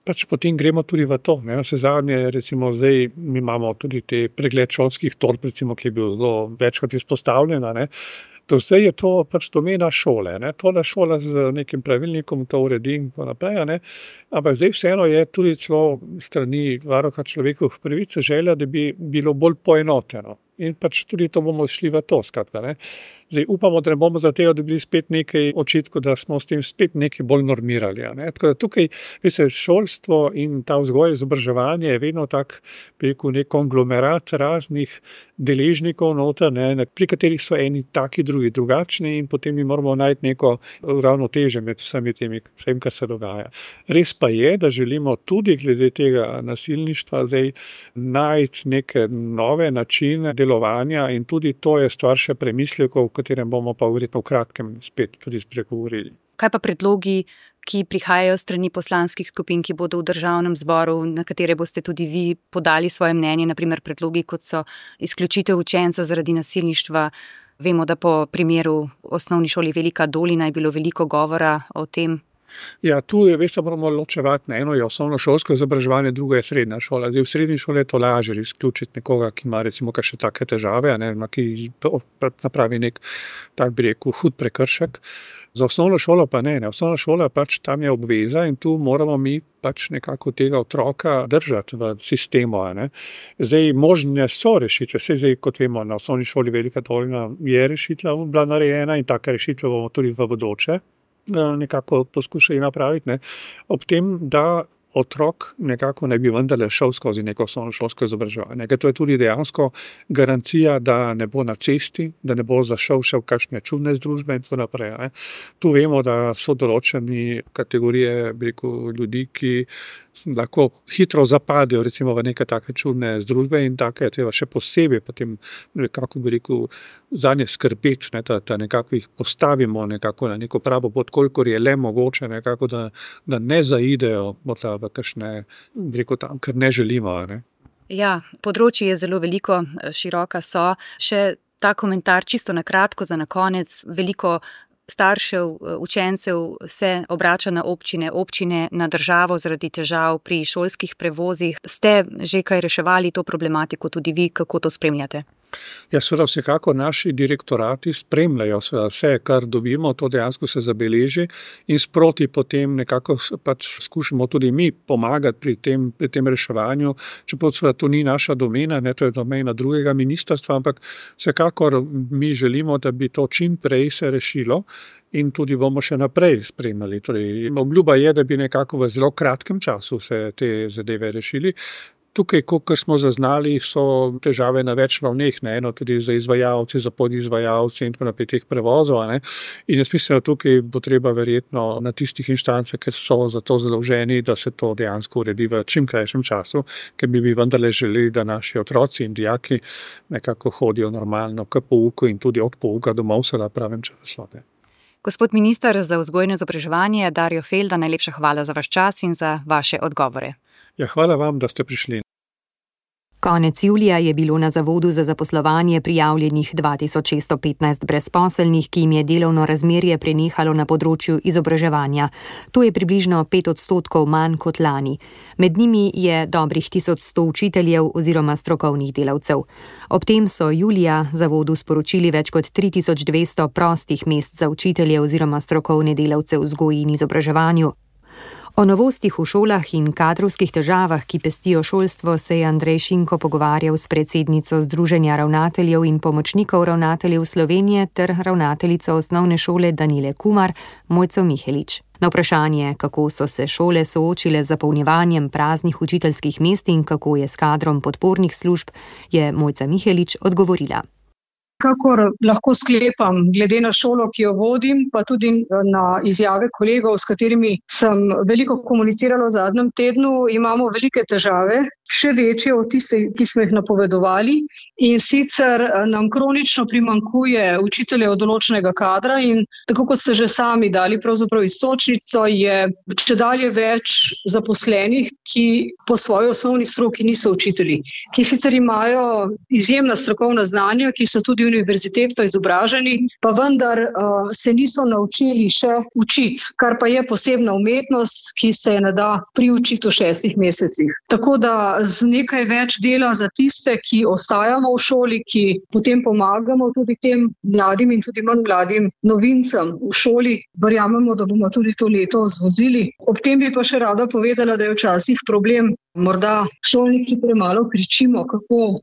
pač potem gremo tudi v to. Ne. Vse zadnje, recimo zdaj, mi imamo tudi te pregled šolskih torb, recimo, ki je bil zelo večkrat izpostavljena, ne. To zdaj je to pač domena šole, ne. Tole šola z nekim pravilnikom to uredi in tako naprej, ne. Ampak zdaj vseeno je tudi celo strani varuha človekovih pravic želja, da bi bilo bolj poenoteno. In pač tudi to bomo šli v to, skratka, ne. Zdaj upamo, da ne bomo za tega dobili spet nekaj očitkov, da smo s tem spet nekaj bolj normirali. Ne. Tako da tukaj, veste, šolstvo in ta vzgoja izobraževanje je vedno tak, bi rekel, nek konglomerat raznih deležnikov noter, ne, pri katerih so eni taki, drugi drugačni in potem mi moramo najti neko ravnotežje med vsemi temi, vsem, kar se dogaja. Res pa je, da želimo tudi glede tega nasilništva zdaj najti neke nove načine delovanja in tudi to je stvar še premislekov, o katerem bomo pa verjetno v kratkem spet tudi spregovorili. Kaj pa predlogi, ki prihajajo strani poslanskih skupin, ki bodo v državnem zboru, na katere boste tudi vi podali svoje mnenje, na primer predlogi, kot so izključitev učenca zaradi nasilništva? Vemo, da po primeru osnovni šoli Velika Dolina je bilo veliko govora o tem. Ja, tu je, veste, moramo ločevati, ne, eno je osnovnošolsko izobraževanje, drugo je srednja šola. Zdaj, v srednji šoli je to lažje izključiti nekoga, ki ima recimo kakšne take težave, ne, ki napravi nek, tak bi rekel, hud prekršek. Za osnovno šolo pa ne, ne. Osnovna šola pač tam je obveza in tu moramo mi pač nekako tega otroka držati v sistemu. Ne. Zdaj, možne so rešitve, vse zdaj, kot vemo, na osnovni šoli Velika Dolina je rešitva bila narejena in take rešitve bomo tudi v bodoče nekako poskušali napraviti, ne. Ob tem, da otrok nekako ne bi vendarle šel skozi neko osnovnošolsko izobraževanje. To je tudi dejansko garancija, da ne bo na cesti, da ne bo zašel še v kakšne čudne združbe in tako naprej. Ne. Tu vemo, da so določeni kategorije, bi rekel, ljudi, ki lahko hitro zapadejo recimo v neke take čudne združbe in take je treba še posebej potem nekako, bi rekel, zanje skrbeti, ne, da, da nekako jih postavimo nekako na neko pravo pot, kolikor je le mogoče, nekako, da, da ne zaidejo morda v kakšne, bi rekel, tam, ker ne želimo. Ne. Ja, področje je zelo veliko, široka so. Še ta komentar čisto na kratko za na konec. Veliko staršev, učencev se obrača na občine, občine na državo zaradi težav pri šolskih prevozih. Ste že kaj reševali to problematiko tudi vi, kako to spremljate? Ja, seveda vsekako naši direktorati spremljajo seveda vse, kar dobimo, to dejansko se zabeleži in sproti potem nekako pač skušamo tudi mi pomagati pri tem, pri tem reševanju, čeprav seveda to ni naša domena, ne, to je domena drugega ministrstva, ampak vsekakor mi želimo, da bi to čim prej se rešilo in tudi bomo še naprej spremljali. Torej, obljuba je, da bi nekako v zelo kratkem času se te zadeve rešili. Tukaj, kot smo zaznali, so težave na več ravneh, ne, eno tudi za izvajalce, za podizvajalce in tako naprej teh prevozov. Ne. In jaz mislim, da tukaj bo treba verjetno na tistih inštancah, ker so za to zadolženi, da se to dejansko uredi v čim krajšem času, ker bi bi vendarle želeli, da naši otroci in dijaki nekako hodijo normalno k pouku in tudi od pouka domov se na pravem času. Gospod minister za vzgojno izobraževanje Dario Felda, najlepša hvala za vaš čas in za vaše odgovore. Ja, hvala vam, da ste prišli. Konec julija je bilo na Zavodu za zaposlovanje prijavljenih dva tisoč šeststo petnajst brezposelnih, ki jim je delovno razmerje prenehalo na področju izobraževanja. To je približno pet odstotkov manj kot lani. Med njimi je dobrih tisoč sto učiteljev oziroma strokovnih delavcev. Ob tem so julija Zavodu sporočili več kot tri tisoč dvesto prostih mest za učitelje oziroma strokovne delavce v vzgoji in izobraževanju. O novostih v šolah in kadrovskih težavah, ki pestijo šolstvo, se je Andrej Šinko pogovarjal s predsednico Združenja ravnateljev in pomočnikov ravnateljev Slovenije ter ravnateljico osnovne šole Danile Kumar, Mojco Mihelič. Na vprašanje, kako so se šole soočile z zapolnjevanjem praznih učiteljskih mest in kako je s kadrom podpornih služb, je Mojca Mihelič odgovorila. Kakor lahko sklepam, glede na šolo, ki jo vodim, pa tudi na izjave kolegov, s katerimi sem veliko komunicirala v zadnjem tednu, imamo velike težave, še večje od tiste, ki smo jih napovedovali. In sicer nam kronično primanjkuje učiteljev določenega kadra in tako kot ste že sami dali pravzaprav iztočnico, je čedalje več zaposlenih, ki po svoji osnovni stroki niso učitelji, ki sicer imajo izjemna strokovna znanja, ki so tudi univerzitetno izobraženi, pa vendar uh, se niso naučili še učiti, kar pa je posebna umetnost, ki se je ne da priučiti v šestih mesecih. Tako da z nekaj več dela za tiste, ki ostajamo v šoli, ki potem pomagamo tudi tem mladim in tudi manj mladim novincem v šoli, verjamemo, da bomo tudi to leto zvozili. Ob tem bi pa še rada povedala, da je včasih problem, morda šolniki premalo kričimo, kako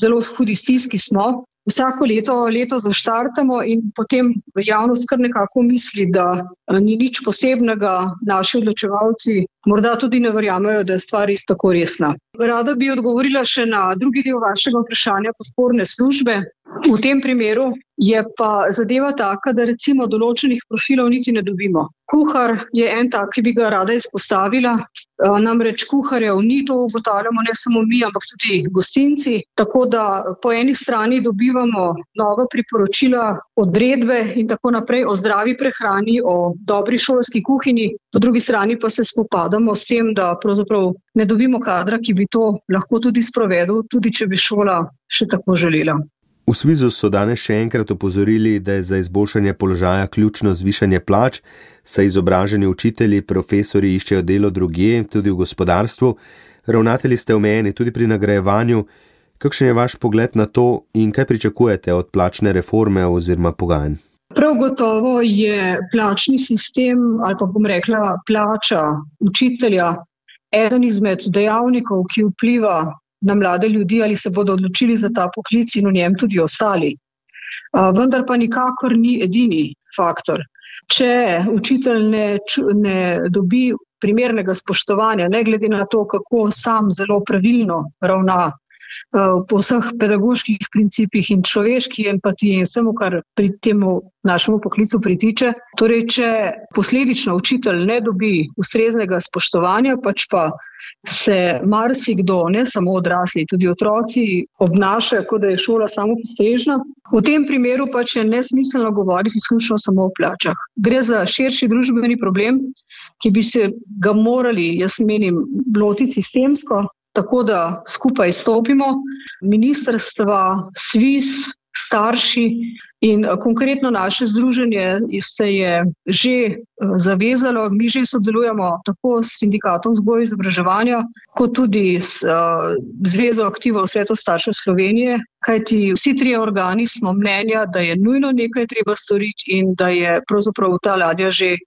zelo hudi stiski smo. Vsako leto, leto zaštartamo in potem javnost kar nekako misli, da ni nič posebnega, naši odločevalci morda tudi ne verjamejo, da je stvar res tako resna. Rada bi odgovorila še na drugi del vašega vprašanja podporne službe. V tem primeru je pa zadeva taka, da recimo določenih profilov niti ne dobimo. Kuhar je en tak, ki bi ga rada izpostavila, namreč kuharjev ni, to ugotavljamo ne samo mi, ampak tudi gostinci, tako da po eni strani dobivamo nova priporočila, odredbe in tako naprej o zdravi prehrani, o dobri šolski kuhinji, po drugi strani pa se spopadamo s tem, da pravzaprav ne dobimo kadra, ki bi to lahko tudi sprovedel, tudi če bi šola še tako želela. V Svizu so danes še enkrat opozorili, da je za izboljšanje položaja ključno zvišanje plač, saj izobraženi učitelji, profesorji iščejo delo drugje, tudi v gospodarstvu. Ravnatelji ste omejeni tudi pri nagrajevanju. Kakšen je vaš pogled na to in kaj pričakujete od plačne reforme oziroma pogajanj? Prav gotovo je plačni sistem, ali pa bom rekla plača učitelja, eden izmed dejavnikov, ki vpliva na mlade ljudi, ali se bodo odločili za ta poklic in v njem tudi ostali. Vendar pa nikakor ni edini faktor. Če učitelj ne, ne dobi primernega spoštovanja, ne glede na to, kako sam zelo pravilno ravna po vseh pedagoških principih in človeški empatiji in vsemu, kar pri temu našemu poklicu pritiče. Torej, če posledično učitelj ne dobi ustreznega spoštovanja, pač pa se marsikdo, ne samo odrasli, tudi otroci obnašajo, kot da je šola samopostrežna. V tem primeru pač je nesmiselno govoriti izključno samo o plačah. Gre za širši družbeni problem, ki bi se ga morali, jaz menim, lotiti sistemsko, tako da skupaj stopimo, ministrstva, Sviz, starši in konkretno naše združenje se je že zavezalo, mi že sodelujemo tako s sindikatom vzgoje in izobraževanja, kot tudi s uh, Zvezo aktivov Sveto staršev Slovenije, kajti vsi trije organi smo mnenja, da je nujno nekaj treba storiti in da je pravzaprav ta ladja že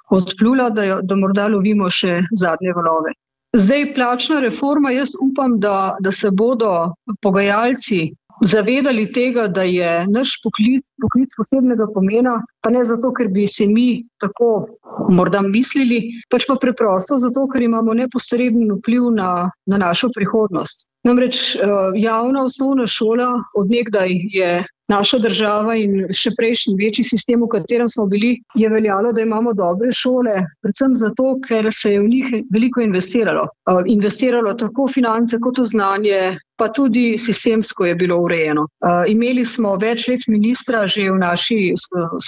odplula, da, da morda lovimo še zadnje valove. Zdaj, plačna reforma, jaz upam, da, da se bodo pogajalci zavedali tega, da je naš poklic, poklic posebnega pomena, pa ne zato, ker bi se mi tako morda mislili, pač pa preprosto zato, ker imamo neposreden vpliv na, na našo prihodnost. Namreč javna osnovna šola od nekdaj je naša država in še prejšnji večji sistem, v katerem smo bili, je veljalo, da imamo dobre šole, predvsem zato, ker se je v njih veliko investiralo. Investiralo tako finance kot v znanje, pa tudi sistemsko je bilo urejeno. Imeli smo več let ministra že v naši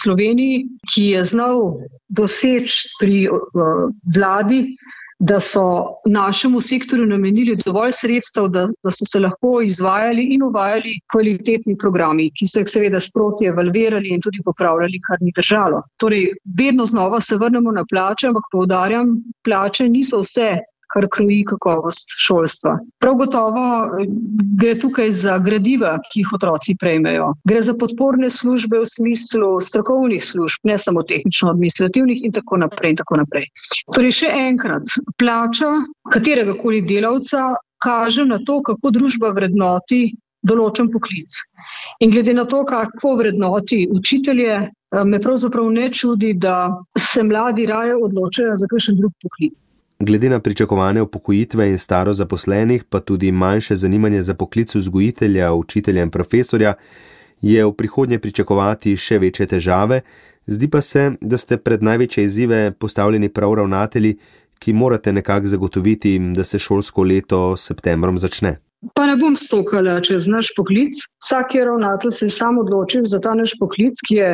Sloveniji, ki je znal doseči pri vladi, da so našemu sektorju namenili dovolj sredstev, da, da so se lahko izvajali in uvajali kvalitetni programi, ki so jih seveda sproti evalvirali in tudi popravljali, kar ni držalo. Torej, vedno znova se vrnemo na plače, ampak poudarjam, plače niso vse, kar kroji kakovost šolstva. Prav gotovo gre tukaj za gradiva, ki jih otroci prejmejo. Gre za podporne službe v smislu strokovnih služb, ne samo tehnično-administrativnih in tako naprej in tako naprej. Torej še enkrat, plača kateregakoli delavca kaže na to, kako družba vrednoti določen poklic. In glede na to, kako vrednoti učitelje, me pravzaprav ne čudi, da se mladi raje odločajo za kakšen drug poklic. Glede na pričakovane upokojitve in staro zaposlenih, pa tudi manjše zanimanje za poklic vzgojitelja, učitelja in profesorja, je v prihodnje pričakovati še večje težave. Zdi pa se, da ste pred največje izzive postavljeni prav ravnatelji, ki morate nekako zagotoviti, da se šolsko leto s septembrom začne. Pa ne bom stokala čez naš poklic. Vsak je ravnatelj se sam odločil za ta naš poklic, ki je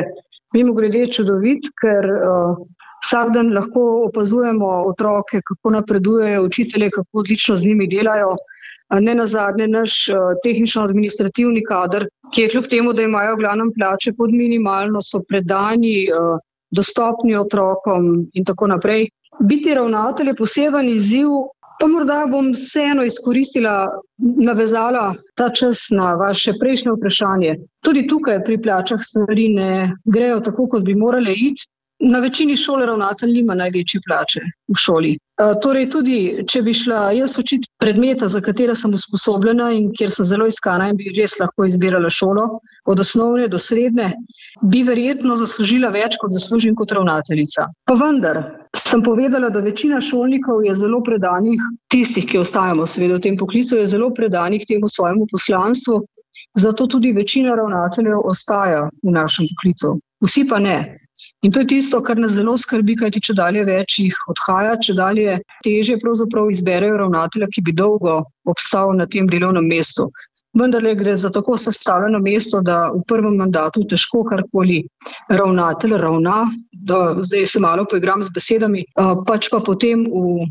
mimogrede čudovit, ker uh, vsak dan lahko opazujemo otroke, kako napredujejo, učitelje, kako odlično z njimi delajo. Ne nazadnje naš tehnično-administrativni kader, ki je kljub temu, da imajo v glavnem plače pod minimalno, so predani, dostopni otrokom in tako naprej. Biti ravnatelj je poseben izziv, pa morda bom vseeno izkoristila, navezala ta čas na vaše prejšnje vprašanje. Tudi tukaj pri plačah stvari ne grejo tako, kot bi morale iti. Na večini šol ravnatelj nima največje plače v šoli. E, torej tudi, če bi šla jaz učiti predmeta, za katera sem usposobljena in kjer sem zelo iskana in bi res lahko izbirala šolo, od osnovne do srednje, bi verjetno zaslužila več, kot zaslužim kot ravnateljica. Pa vendar, sem povedala, da večina šolnikov je zelo predanih, tistih, ki ostajamo seveda v tem poklicu, je zelo predanih temu svojemu poslanstvu, zato tudi večina ravnateljev ostaja v našem poklicu. Vsi pa ne. In to je tisto, kar nas zelo skrbi, kajti čedalje več jih odhaja, čedalje težje pravzaprav izberejo ravnatelja, ki bi dolgo obstal na tem delovnem mestu. Vendar gre za tako sestavljeno mesto, da v prvem mandatu težko karkoli ravnatelj ravna, da zdaj se malo poigram z besedami, pač pa potem v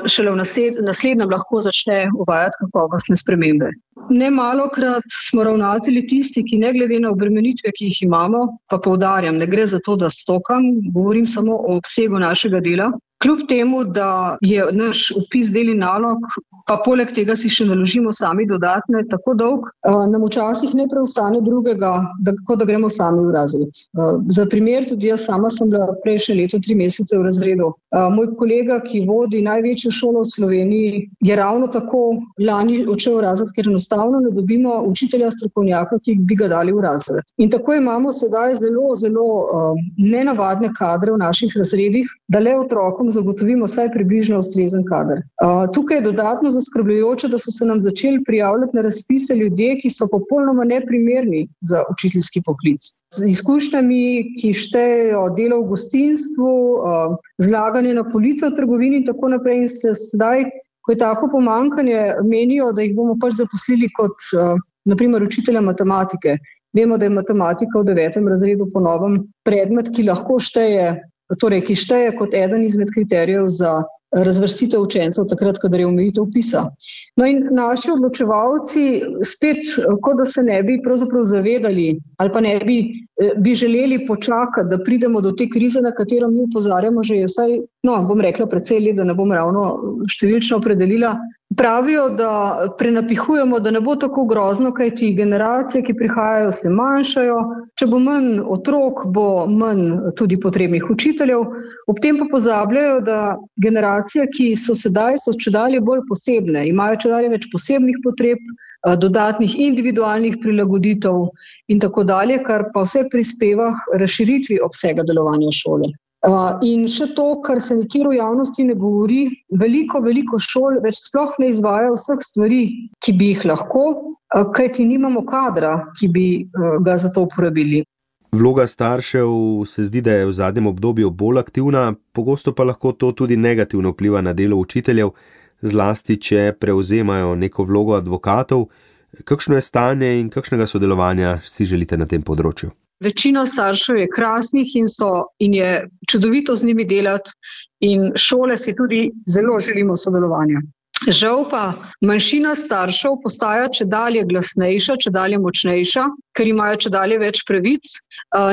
šele v naslednjem lahko začne uvajati kakovostne spremembe. Nemalokrat smo ravnatelji tisti, ki ne glede na obremenitve, ki jih imamo, pa poudarjam, ne gre za to, da stokam, govorim samo o obsegu našega dela. Kljub temu, da je naš vpis del in nalog, pa poleg tega si še naložimo sami dodatne, tako dolg, nam včasih ne preostane drugega, da, kot da gremo sami v razred. Za primer, tudi jaz sama sem bila prejšnje leto tri mesece v razredu. Moj kolega, ki vodi največjo šolo v Sloveniji, je ravno tako lani odšel v razred, ker enostavno ne dobimo učitelja strokovnjaka, ki bi ga dali v razred. In tako imamo sedaj zelo, zelo nenavadne kadre v naših razredih, da le otrokom zagotovimo vsaj približno ustrezen kader. Uh, tukaj je dodatno zaskrbljujoče, da so se nam začeli prijavljati na razpise ljudje, ki so popolnoma neprimerni za učiteljski poklic. Z izkušnjami, ki štejejo delo v gostinstvu, uh, zlaganje na polico v trgovini in tako naprej, in se sedaj, ko je tako pomanjkanje, menijo, da jih bomo pač zaposlili kot uh, naprimer učitelja matematike. Vemo, da je matematika v devetem razredu po novem predmet, ki lahko šteje Torej, ki šteje kot eden izmed kriterijev za razvrstitev učencev takrat, kadar je omejitev vpisa. No in naši odločevalci spet, kot da se ne bi pravzaprav zavedali ali pa ne bi, bi želeli počakati, da pridemo do te krize, na katero mi opozarjamo že vsaj, no, bom rekla precej let, da ne bom ravno številčno opredelila. Pravijo, da prenapihujemo, da ne bo tako grozno, kajti generacije, ki prihajajo, se manjšajo. Če bo manj otrok, bo manj tudi potrebnih učiteljev. Ob tem pa pozabljajo, da generacije, ki so sedaj, so čedalje bolj posebne, imajo čedalje več posebnih potreb, dodatnih individualnih prilagoditev in tako dalje, kar pa vse prispeva k razširitvi obsega delovanja šole. In še to, kar se nikjer v javnosti ne govori, veliko, veliko šol več sploh ne izvaja vseh stvari, ki bi jih lahko, kajti nimamo kadra, ki bi ga za to uporabili. Vloga staršev se zdi, da je v zadnjem obdobju bolj aktivna, pogosto pa lahko to tudi negativno vpliva na delo učiteljev, zlasti če prevzemajo neko vlogo advokatov. Kakšno je stanje in kakšnega sodelovanja si želite na tem področju? Večina staršev je krasnih in, so, in je čudovito z njimi delati in šole si tudi zelo želimo sodelovanja. Žal pa manjšina staršev postaja čedalje glasnejša, čedalje močnejša, ker imajo čedalje več pravic,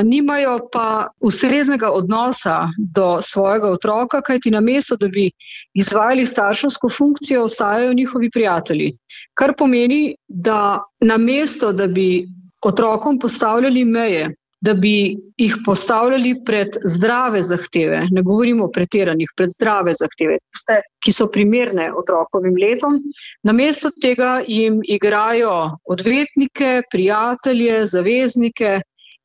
nimajo pa ustreznega odnosa do svojega otroka, kajti namesto, da bi izvajali starševsko funkcijo, ostajajo njihovi prijatelji. Kar pomeni, da namesto, da bi otrokom postavljali meje, da bi jih postavljali pred zdrave zahteve, ne govorimo o pretiranih, pred zdrave zahteve, tiste, ki so primerne otrokovim letom, namesto tega jim igrajo odvetnike, prijatelje, zaveznike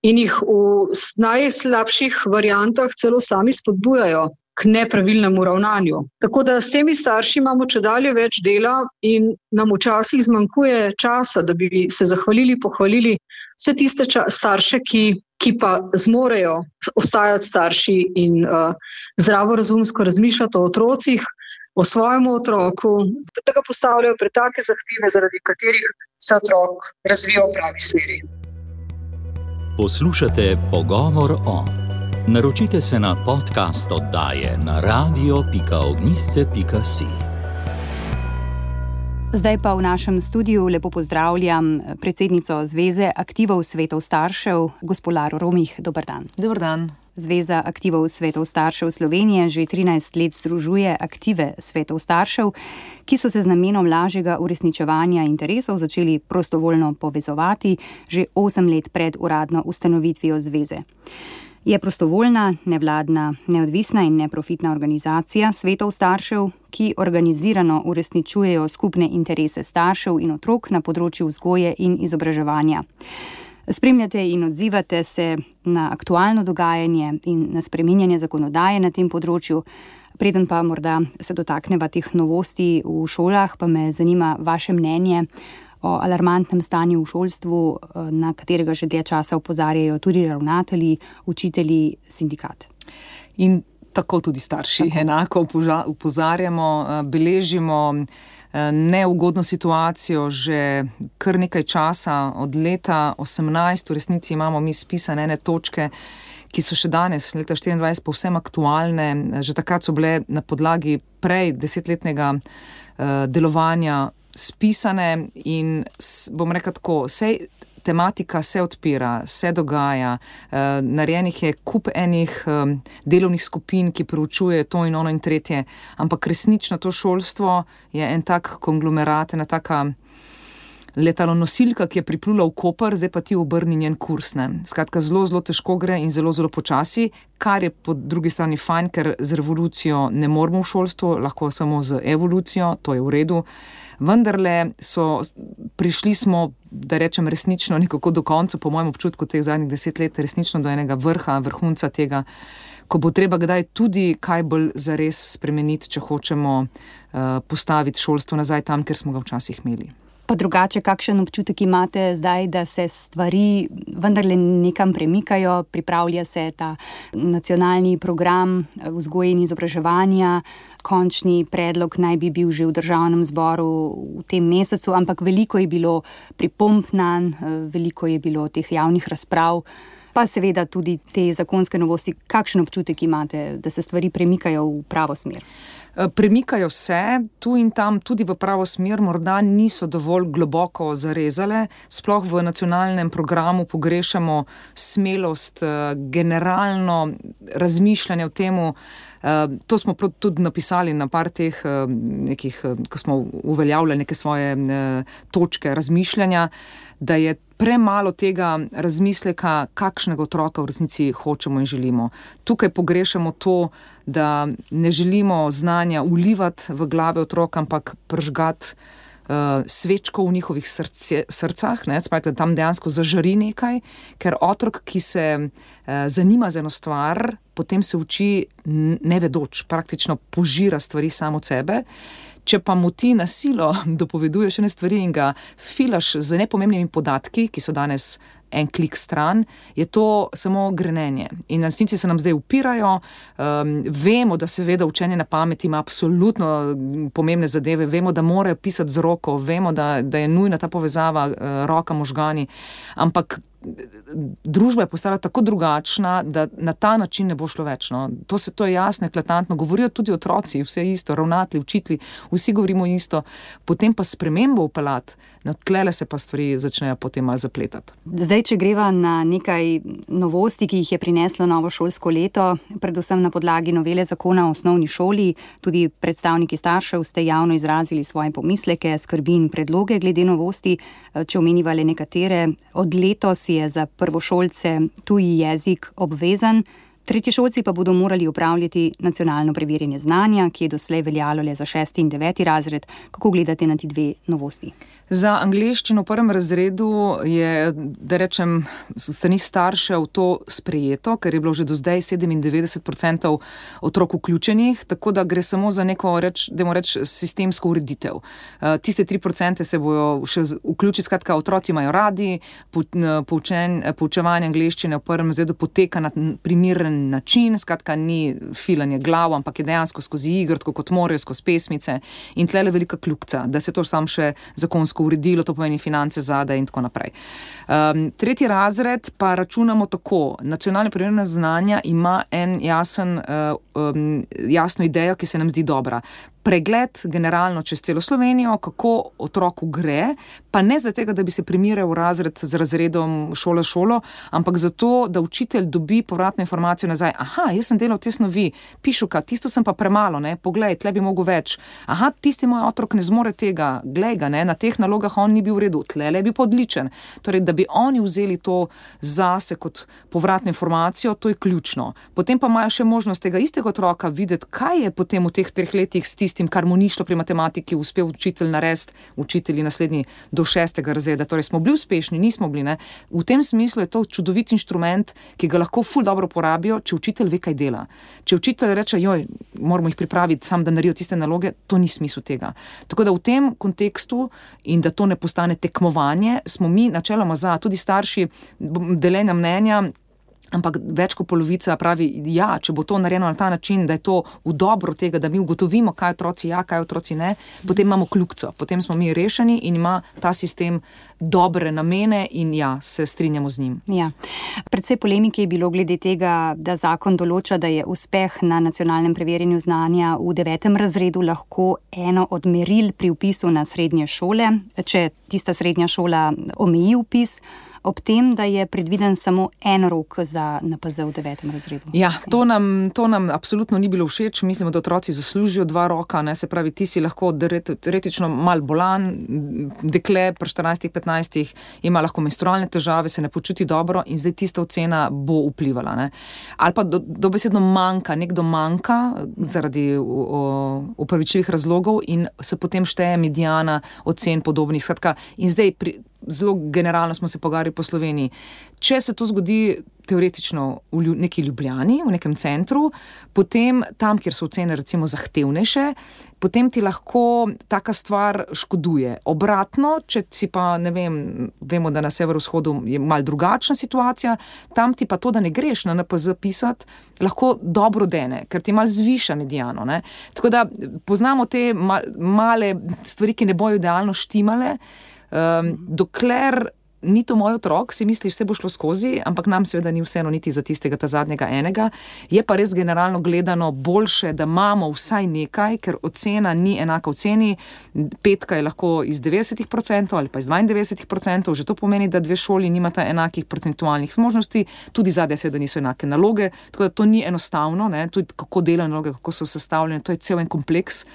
in jih v najslabših variantah celo sami spodbujajo k nepravilnemu ravnanju. Tako da s temi starši imamo čedalje več dela in nam včasih zmanjkuje časa, da bi se zahvalili, pohvalili vse tiste ča- starše, ki, ki pa zmorejo ostajati starši in uh, zdravorazumsko razmišljati o otrocih, o svojem otroku, da ga postavljajo pred take zahteve, zaradi katerih se otrok razvija v pravi smeri. Poslušate Pogovor o. Naročite se na podcast oddaje na radio pika ognjišče pika si. Zdaj pa v našem studiu lepo pozdravljam predsednico Zveze aktivov svetov staršev, gospo Laro Romih. Dober dan. Dober dan. Zveza aktivov svetov staršev Slovenije že trinajst let združuje aktive svetov staršev, ki so se z namenom lažjega uresničevanja interesov začeli prostovoljno povezovati že osem let pred uradno ustanovitvijo zveze. Je prostovoljna, nevladna, neodvisna in neprofitna organizacija svetov staršev, ki organizirano uresničujejo skupne interese staršev in otrok na področju vzgoje in izobraževanja. Spremljate in odzivate se na aktualno dogajanje in na spreminjanje zakonodaje na tem področju. Preden pa morda se dotakneva teh novosti v šolah, pa me zanima vaše mnenje o alarmantnem stanju v šolstvu, na katerega že dlje časa opozarjajo tudi ravnatelji, učitelji, sindikat. In tako tudi starši. Tako. Enako opozarjamo, beležimo neugodno situacijo že kar nekaj časa, od leta osemnajst, v resnici imamo mi spisane ene točke, ki so še danes, leta štiriindvajset, povsem aktualne. Že takrat so bile na podlagi prej desetletnega delovanja spisane in bom rekel tako, sej tematika se odpira, se dogaja, narejenih je kup enih delovnih skupin, ki proučuje to in ono in tretje, ampak resnično to šolstvo je en tak konglomerat, ena taka letalonosilka, ki je priplula v Koper, zdaj pa ti obrni njen kurs. Ne. Skratka, zelo, zelo težko gre in zelo, zelo počasi, kar je po drugi strani fajn, ker z revolucijo ne moramo v šolstvu, lahko samo z evolucijo, to je v redu. Vendarle so, prišli smo, da rečem resnično, nekako do konca, po mojem občutku teh zadnjih deset let, resnično do enega vrha, vrhunca tega, ko bo treba kdaj tudi kaj bolj zares spremeniti, če hočemo uh, postaviti šolstvo nazaj tam, kjer smo ga včasih imeli. Pa drugače, kakšen občutek imate zdaj, da se stvari vendarle nekam premikajo, pripravlja se ta nacionalni program vzgoje in izobraževanja, končni predlog naj bi bil že v državnem zboru v tem mesecu, ampak veliko je bilo pripomb nanj, veliko je bilo teh javnih razprav, pa seveda tudi te zakonske novosti. Kakšen občutek imate, da se stvari premikajo v pravo smer? Premikajo se, tu in tam tudi v pravo smer, morda niso dovolj globoko zarezale, sploh v nacionalnem programu pogrešamo smelost, generalno razmišljanje o temu. To smo tudi napisali na par teh nekih, ko smo uveljavljali neke svoje točke razmišljanja, da je premalo tega razmisleka, kakšnega otroka v resnici hočemo in želimo. Tukaj pogrešamo to, da ne želimo znanja ulivati v glave otroka, ampak pržgati uh, svečko v njihovih srce, srcah, ne, spajte, tam dejansko zažari nekaj, ker otrok, ki se uh, zanima za eno stvar, potem se uči nevedoč, praktično požira stvari samo od sebe. Če pa mu ti na silo dopoveduješ ene stvari in ga filaš z nepomembnimi podatki, ki so danes en klik stran, je to samo grenenje. In resnici se nam zdaj upirajo, um, vemo, da seveda učenje na pamet ima absolutno pomembne zadeve, vemo, da morajo pisati z roko, vemo, da, da je nujna ta povezava uh, roka možgani, ampak družba je postala tako drugačna, da na ta način ne bo šlo več. No. To, se, to je jasno, eklatantno. Govorijo tudi otroci, vse isto, ravnatelji, učitelji, vsi govorimo isto. Potem pa spremembo upeljati, no, tlele se pa stvari začnejo potem malo zapletati. Zdaj, če greva na nekaj novosti, ki jih je prineslo novo šolsko leto, predvsem na podlagi novele zakona o osnovni šoli, tudi predstavniki staršev ste javno izrazili svoje pomisleke, skrbi in predloge glede novosti, če omeniva le nekatere. Od letos je za prvošolce tuji jezik obvezen, tretješolci pa bodo morali opravljati nacionalno preverjanje znanja, ki je doslej veljalo le za šesti in deveti razred. Kako gledate na ti dve novosti? Za angleščino v prvem razredu je, da rečem, strani staršev to sprejeto, ker je bilo že do zdaj sedemindevetdeset procentov otrok vključenih, tako da gre samo za neko, reč, dajmo reči, sistemsko ureditev. Tiste tri procente se bojo še vključiti, skratka, otroci imajo radi, poučen, poučevanje angleščine v prvem razredu poteka na primeren način, skratka, ni filanje glav, ampak je dejansko skozi igr, tako kot morajo, skozi pesmice in tlele velika kljukca, da se to tam še zakonsko uredilo, to pomeni finance zadaj in tako naprej. Um, tretji razred pa računamo tako. Nacionalno preverjanje znanja ima en jasen, uh, um, jasno idejo, ki se nam zdi dobra. Pregled generalno čez celo Slovenijo, kako otroku gre, pa ne zato, da bi se primerjal razred z razredom šola šolo, ampak zato, da učitelj dobi povratno informacijo nazaj. Aha, jaz sem delal te snovi, pišuka, tisto sem pa premalo, ne, poglej, tle bi mogel več. Aha, tisti moj otrok ne zmore tega, glej ga, ne, na teh nalogah on ni bil v redu, tle je bil pa odličen. Torej, da bi oni vzeli to zase kot povratno informacijo, to je ključno. Potem pa imajo še možnost tega istega otroka videti, kaj je potem v teh treh letih s tistim, kar mu ni šlo pri matematiki, uspel učitelj narediti, učitelji naslednji do šestega razreda. Torej smo bili uspešni, nismo bili. Ne? V tem smislu je to čudovit inštrument, ki ga lahko ful dobro porabijo, če učitelj ve, kaj dela. Če učitelj reče, joj, moramo jih pripraviti sam, da naredijo tiste naloge, to ni smisel tega. Tako da v tem kontekstu in da to ne postane tekmovanje, smo mi načeloma za, tudi starši deljenja mnenja, Ampak več kot polovica pravi, ja, če bo to narejeno na ta način, da je to v dobro tega, da mi ugotovimo, kaj otroci ja, kaj otroci ne, potem imamo kljukico, potem smo mi rešeni in ima ta sistem dobre namene in ja, se strinjamo z njim. Ja. Predvsej polemike je bilo glede tega, da zakon določa, da je uspeh na nacionalnem preverjanju znanja v devetem razredu lahko eno od meril pri vpisu na srednje šole, če tista srednja šola omeji vpis, ob tem, da je predviden samo en rok za N P Z v devetem razredu. Ja, to nam, to nam absolutno ni bilo všeč. Mislimo, da otroci zaslužijo dva roka, ne? Se pravi, ti si lahko teoretično mal bolan, dekle pri štirinajstih, petnajstih ima lahko menstrualne težave, se ne počuti dobro in zdaj tista ocena bo vplivala. Ne? Ali pa do, dobesedno manjka, nekdo manjka zaradi upravičljivih razlogov in se potem šteje mediana ocen podobnih. Skratka, in zdaj pri zelo generalno smo se pogovarjali po Sloveniji. Če se to zgodi teoretično v neki Ljubljani, v nekem centru, potem tam, kjer so ocene recimo zahtevnejše, potem ti lahko taka stvar škoduje. Obratno, če si pa, ne vem, vemo, da na severovzhodu je malo drugačna situacija, tam ti pa to, da ne greš na N P Z pisati, lahko dobro dene, ker ti malo zviša mediano. Ne? Tako da poznamo te male stvari, ki ne bojo idealno štimale, Um, dokler ni to moj otrok, si misliš, vse bo šlo skozi, ampak nam seveda ni vseeno niti za tistega ta zadnjega enega. Je pa res generalno gledano boljše, da imamo vsaj nekaj, ker ocena ni enaka oceni. Petka je lahko iz devetdeset procentov ali pa iz dvaindevetdeset procentov, že to pomeni, da dve šoli nimata enakih procentualnih zmožnosti, tudi zadnje seveda niso enake naloge, tako da to ni enostavno, ne? Tudi kako delajo naloge, kako so sestavljene, to je cel en kompleks.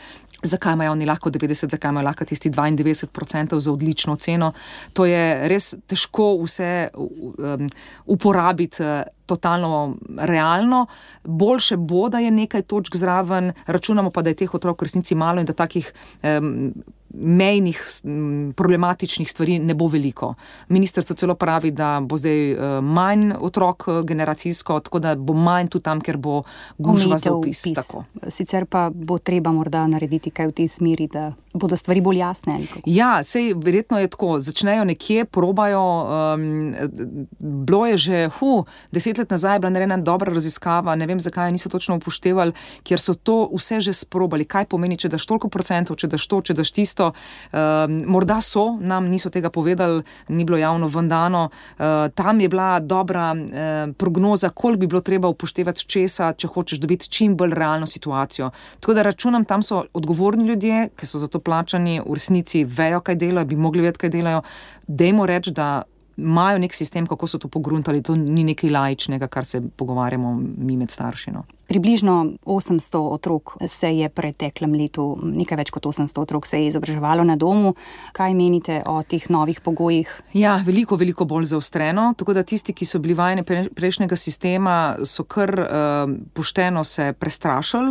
Zakaj imajo oni lahko devetdeset, zakaj imajo lahko tisti dvaindevetdeset procentov za odlično oceno. To je res težko vse um, uporabiti totalno realno. Boljše bo, da je nekaj točk zraven, računamo pa, da je teh otrok v resnici malo in da takih um, mejnih problematičnih stvari ne bo veliko. Ministrstvo celo pravi, da bo zdaj manj otrok generacijsko, tako da bo manj tudi tam, ker bo gužva za vpis. Tako. Sicer pa bo treba morda narediti kaj v tej smeri, da bodo stvari bolj jasne. Ja, sej verjetno je tako. Začnejo nekje, probajo. Um, bilo je že, hu, deset let nazaj je bila narejena dobra raziskava, ne vem, zakaj niso točno upoštevali, kjer so to vse že sprobali. Kaj pomeni, če daš toliko procentov, če daš to, če daš tisto. Uh, morda so, nam niso tega povedali, ni bilo javno vendano. Uh, tam je bila dobra uh, prognoza, koliko bi bilo treba upoštevati česa, če hočeš dobiti čim bolj realno situacijo. Tako da računam, tam so odgovorni ljudje, ki so za to plačani, v resnici vejo, kaj delajo, bi mogli vedeti, kaj delajo. Dajmo reči, da imajo nek sistem, kako so to pogruntali, to ni nekaj laičnega, kar se pogovarjamo mi med starši. No. Približno osemsto otrok se je preteklem letu, nekaj več kot osemsto otrok se je izobraževalo na domu. Kaj menite o teh novih pogojih? Ja, veliko, veliko bolj zaostreno, tako da tisti, ki so bili vajeni prejšnjega sistema, so kar uh, pošteno se prestrašili.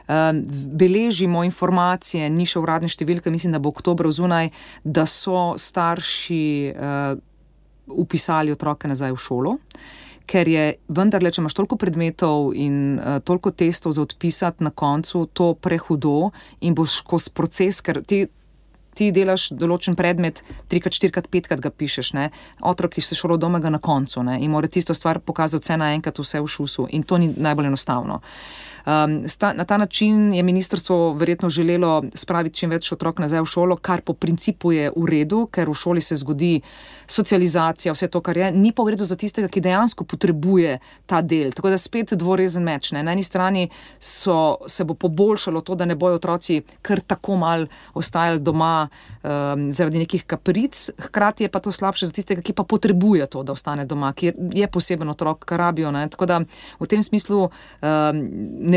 Uh, beležimo informacije, ni še uradne številke, mislim, da bo oktobra zunaj, da so starši uh, upisali otroke nazaj v šolo, ker je vendarle, če imaš toliko predmetov in uh, toliko testov za odpisati na koncu, to prehudo in boš skozi proces, ker ti ti delaš določen predmet, trikrat, štirikrat, petkrat ga pišeš, ne? Otrok, ki se šolo doma, ga na koncu, ne? In mora tisto stvar pokazati vse naenkrat, vse v šusu in to ni najbolj enostavno. Um, sta, na ta način je ministrstvo verjetno želelo spraviti čim več otrok nazaj v šolo, kar po principu je v redu, ker v šoli se zgodi socializacija, vse to, kar je, ni pa v redu za tistega, ki dejansko potrebuje ta del. Tako da spet dvorezen meč. Ne? Na eni strani so, se bo poboljšalo to, da ne bojo otroci kar tako mal ostajali doma um, zaradi nekih kapric, hkrati je pa to slabše za tistega, ki pa potrebuje to, da ostane doma, ki je poseben otrok, kar rabijo. Ne? Tako da v tem smislu um,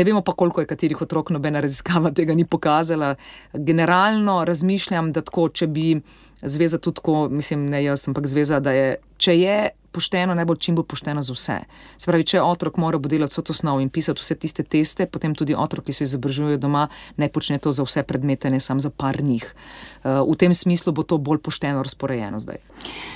ne vemo pa, koliko je katerih otrok, nobena raziskava tega ni pokazala. Generalno razmišljam, da tako, če bi zveza tudi tako, mislim, ne jaz, ampak zveza, da je, če je pošteno, najbolj čim bo pošteno za vse. Se pravi, če otrok mora bo delati vso to snov in pisati vse tiste teste, potem tudi otrok, ki se izobražujejo doma, ne počne to za vse predmete, ne samo za par njih. Uh, v tem smislu bo to bolj pošteno razporejeno zdaj.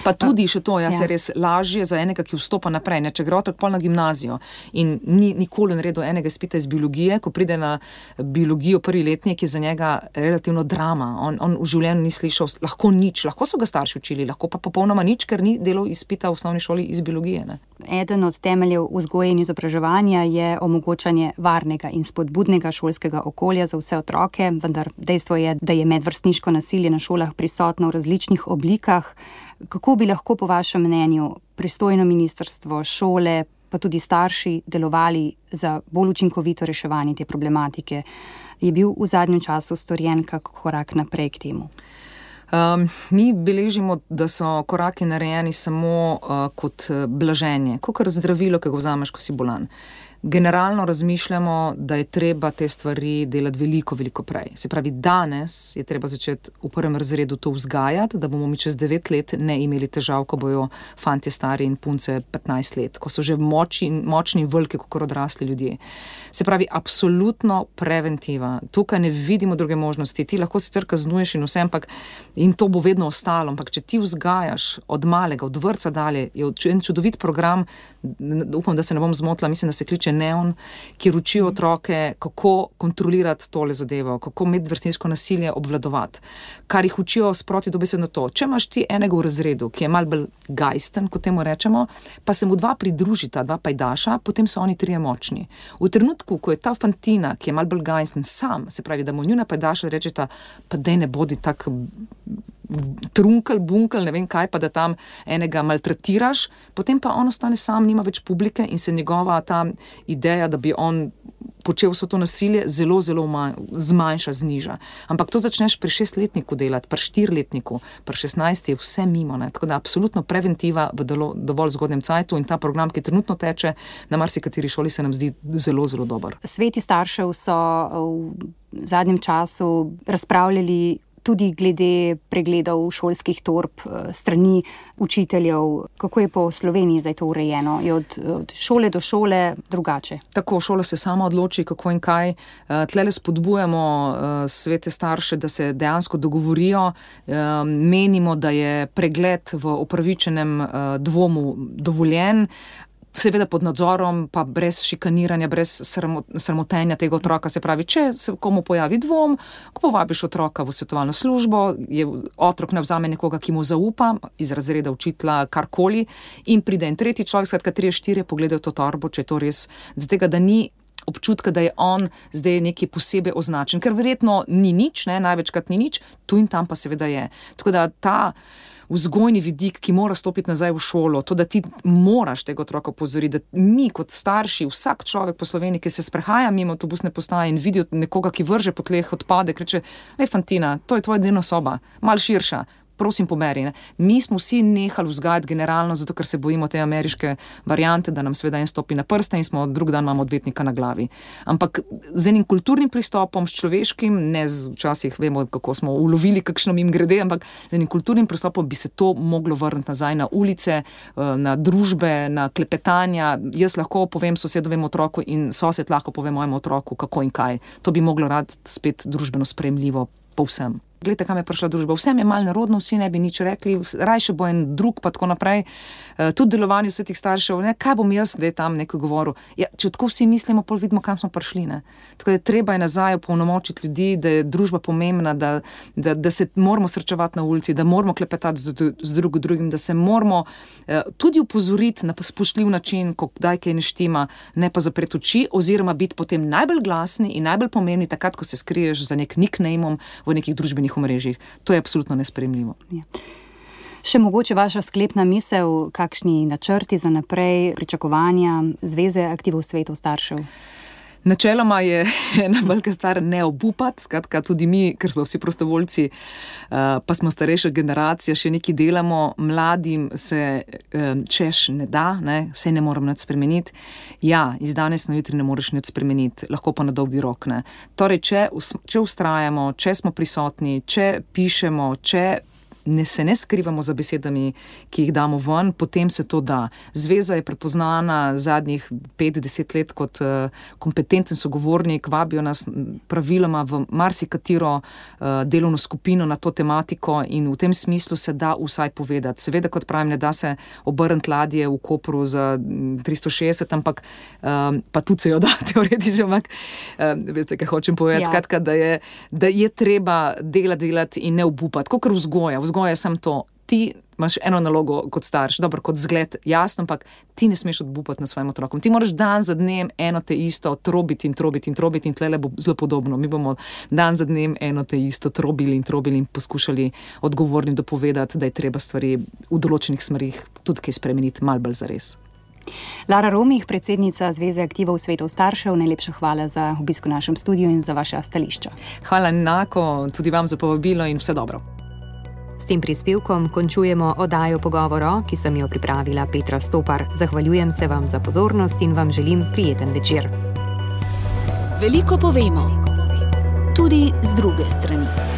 Pa tudi še to, jaz ja. se res lažje za enega, ki vstopa naprej, ne, če gre otrok pol na gimnazijo in ni nikoli naredil enega izpita iz biologije, ko pride na biologijo prvi letnik, je za njega relativno drama. On, on v življenju ni slišal lahko nič, lahko so ga starši učili, lahko pa popolnoma nič, ker ni delal izpita v osnovni šoli iz biologije. Ne. Eden od temeljev vzgoje in izobraževanja je omogočanje varnega in spodbudnega šolskega okolja za vse otroke, vendar dejstvo je, da je medvrstniško nasilje na šolah prisotno v različnih oblikah. Kako bi lahko po vašem mnenju pristojno ministrstvo, šole, pa tudi starši delovali za bolj učinkovito reševanje te problematike? Je bil v zadnjem času storjen kak korak naprej k temu? Um, mi beležimo, da so koraki narejeni samo uh, kot blaženje, kakor zdravilo, ki ga vzameš, ko si bolan. Generalno razmišljamo, da je treba te stvari delati veliko, veliko prej. Se pravi, danes je treba začeti v prvem razredu to vzgajati, da bomo mi čez devet let ne imeli težav, ko bojo fantje stari in punce petnajst let, ko so že močni, močni in veliki, kot odrasli ljudje. Se pravi, absolutno preventiva. Tukaj ne vidimo druge možnosti. Ti lahko sicer kaznuješ in vse, ampak in to bo vedno ostalo, ampak če ti vzgajaš od malega, od vrtca dalje, je en čudovit program, upam, da se ne bom zmotila, mislim, da se kliče Neon, kjer učijo otroke, kako kontrolirati tole zadevo, kako medvrstniško nasilje obvladovati. Kar jih učijo sproti dobesedno to. Če imaš ti enega v razredu, ki je malo bolj gajsten, kot temu rečemo, pa se mu dva pridružita, dva pajdaša, potem so oni trije močni. V trenutku, ko je ta fantina, ki je malo bolj gajsten, sam, se pravi, da mu njuna pajdaša rečeta, pa dej ne bodi tak trunkel, bunkel, ne vem kaj, pa da tam enega maltretiraš, potem pa on ostane sam, nima več publike in se njegova ta ideja, da bi on počel vso to nasilje, zelo, zelo zmanjša, zniža. Ampak to začneš pri šestletniku delati, pri štirletniku, pri šestnajst je vse mimo. Ne? Tako da absolutno preventiva v dolo, dovolj zgodnem cajtu in ta program, ki trenutno teče na marsikateri šoli, se nam zdi zelo, zelo dober. Sveti staršev so v zadnjem času razpravljali tudi glede pregledov šolskih torb strani učiteljev. Kako je po Sloveniji zdaj to urejeno? Je od, od šole do šole drugače? Tako, šola se sama odloči, kako in kaj. Tlele spodbujamo svete starše, da se dejansko dogovorijo. Menimo, da je pregled v upravičenem dvomu dovoljen, seveda pod nadzorom, pa brez šikaniranja, brez sramotenja tega otroka. Se pravi, če se komu pojavi dvom, ko povabiš otroka v svetovalno službo, je otrok ne vzame nekoga, ki mu zaupa, iz razreda učitelja, karkoli, in pride en tretji človek, skratka trije, štirje pogledajo to torbo, če je to res, z tega, da ni občutka, da je on zdaj nekaj posebej označen, ker verjetno ni nič, ne, največkrat ni nič, tu in tam pa seveda je. Tako da ta vzgojni vidik, ki mora stopiti nazaj v šolo, to, da ti moraš tega otroka opozoriti, da mi kot starši, vsak človek po Sloveniji, ki se sprehaja mimo avtobusne postaje in vidi nekoga, ki vrže po tleh odpadek, reče, lej fantina, to je tvoja dnevna soba, malo širša, prosim poberi. Ne? Mi smo vsi nehali vzgajati generalno, zato ker se bojimo te ameriške variante, da nam sveda en stopi na prste in smo drug dan imamo odvetnika na glavi. Ampak z enim kulturnim pristopom, s človeškim, ne z, včasih vemo, kako smo ulovili kakšno mim grede, ampak z enim kulturnim pristopom bi se to moglo vrniti nazaj na ulice, na družbe, na klepetanja. Jaz lahko povem sosedovemu otroku in sosed lahko pove mojemu otroku, kako in kaj. To bi moglo rad spet družbeno sprejemljivo povsem. Glejte, kam je prišla družba. Vsem je malo narodno, vsi ne bi nič rekli, rajše bo en drug, pa tako naprej. E, tudi delovanje svetih staršev, ne, kaj bom jaz, da je tam nekaj govoril. Ja, če tako vsi mislimo, pol vidimo, kam smo prišli. Ne. Tako da treba je nazaj opolnomočiti ljudi, da je družba pomembna, da, da, da se moramo srečevati na ulici, da moramo klepetati z, z drug drugim, da se moramo e, tudi upozoriti na spoštljiv način, ko kdaj kaj ne štima, ne pa zapreti oči, oziroma biti potem najbolj glasni in najbolj pomembni takrat, ko se skriješ za nek nicknameom v nekih družbenih omrežjih. To je absolutno nesprejemljivo. Ja. Še mogoče vaša sklepna misel, kakšni načrti za naprej, pričakovanja Zveze aktivov svetov staršev? Načeloma je ena velika stvar ne obupati, skratka tudi mi, ker smo vsi prostovoljci, pa smo starejša generacija, še nekaj delamo, mladim se češ ne da, ne, vse ne moram nič spremeniti. Ja, iz danes na jutri ne moreš nič spremeniti, lahko pa na dolgi rok, ne. Torej, če, če vztrajamo, če smo prisotni, če pišemo, če ne se ne skrivamo za besedami, ki jih damo ven, potem se to da. Zveza je prepoznana zadnjih pet, deset let kot uh, kompetenten sogovornik, vabijo nas praviloma v marsikatero uh, delovno skupino na to tematiko in v tem smislu se da vsaj povedati. Seveda, kot pravim, ne da se obrniti ladje v Kopru za tristo šestdeset, ampak um, pa tudi se jo da teoretično, ampak uh, veste, kaj hočem povedati, ja. Skratka, da je, da je treba delati, delati in ne obupati, kakor vzgoja. Vzgoja je samo to, ti imaš eno nalogo kot starš, dobro, kot zgled, jasno, ampak ti ne smeš odbupati na svojim otrokom. Ti moraš dan za dnem eno te isto trobiti in trobiti in trobiti in tlele bo zelo podobno. Mi bomo dan za dnem eno te isto trobili in trobili in poskušali odgovornim dopovedati, da je treba stvari v določenih smerih tudi kaj spremeniti, malo bolj zares. Lara Romih, predsednica Zveze aktivov svetov staršev, najlepša hvala za obisk v našem studiu in za vaša stališča. Hvala enako tudi vam za povabilo in vse dobro. S tem prispevkom končujemo oddajo Pogovoro, ki sem jo pripravila Petra Stopar. Zahvaljujem se vam za pozornost in vam želim prijeten večer. Veliko povemo, tudi z druge strani.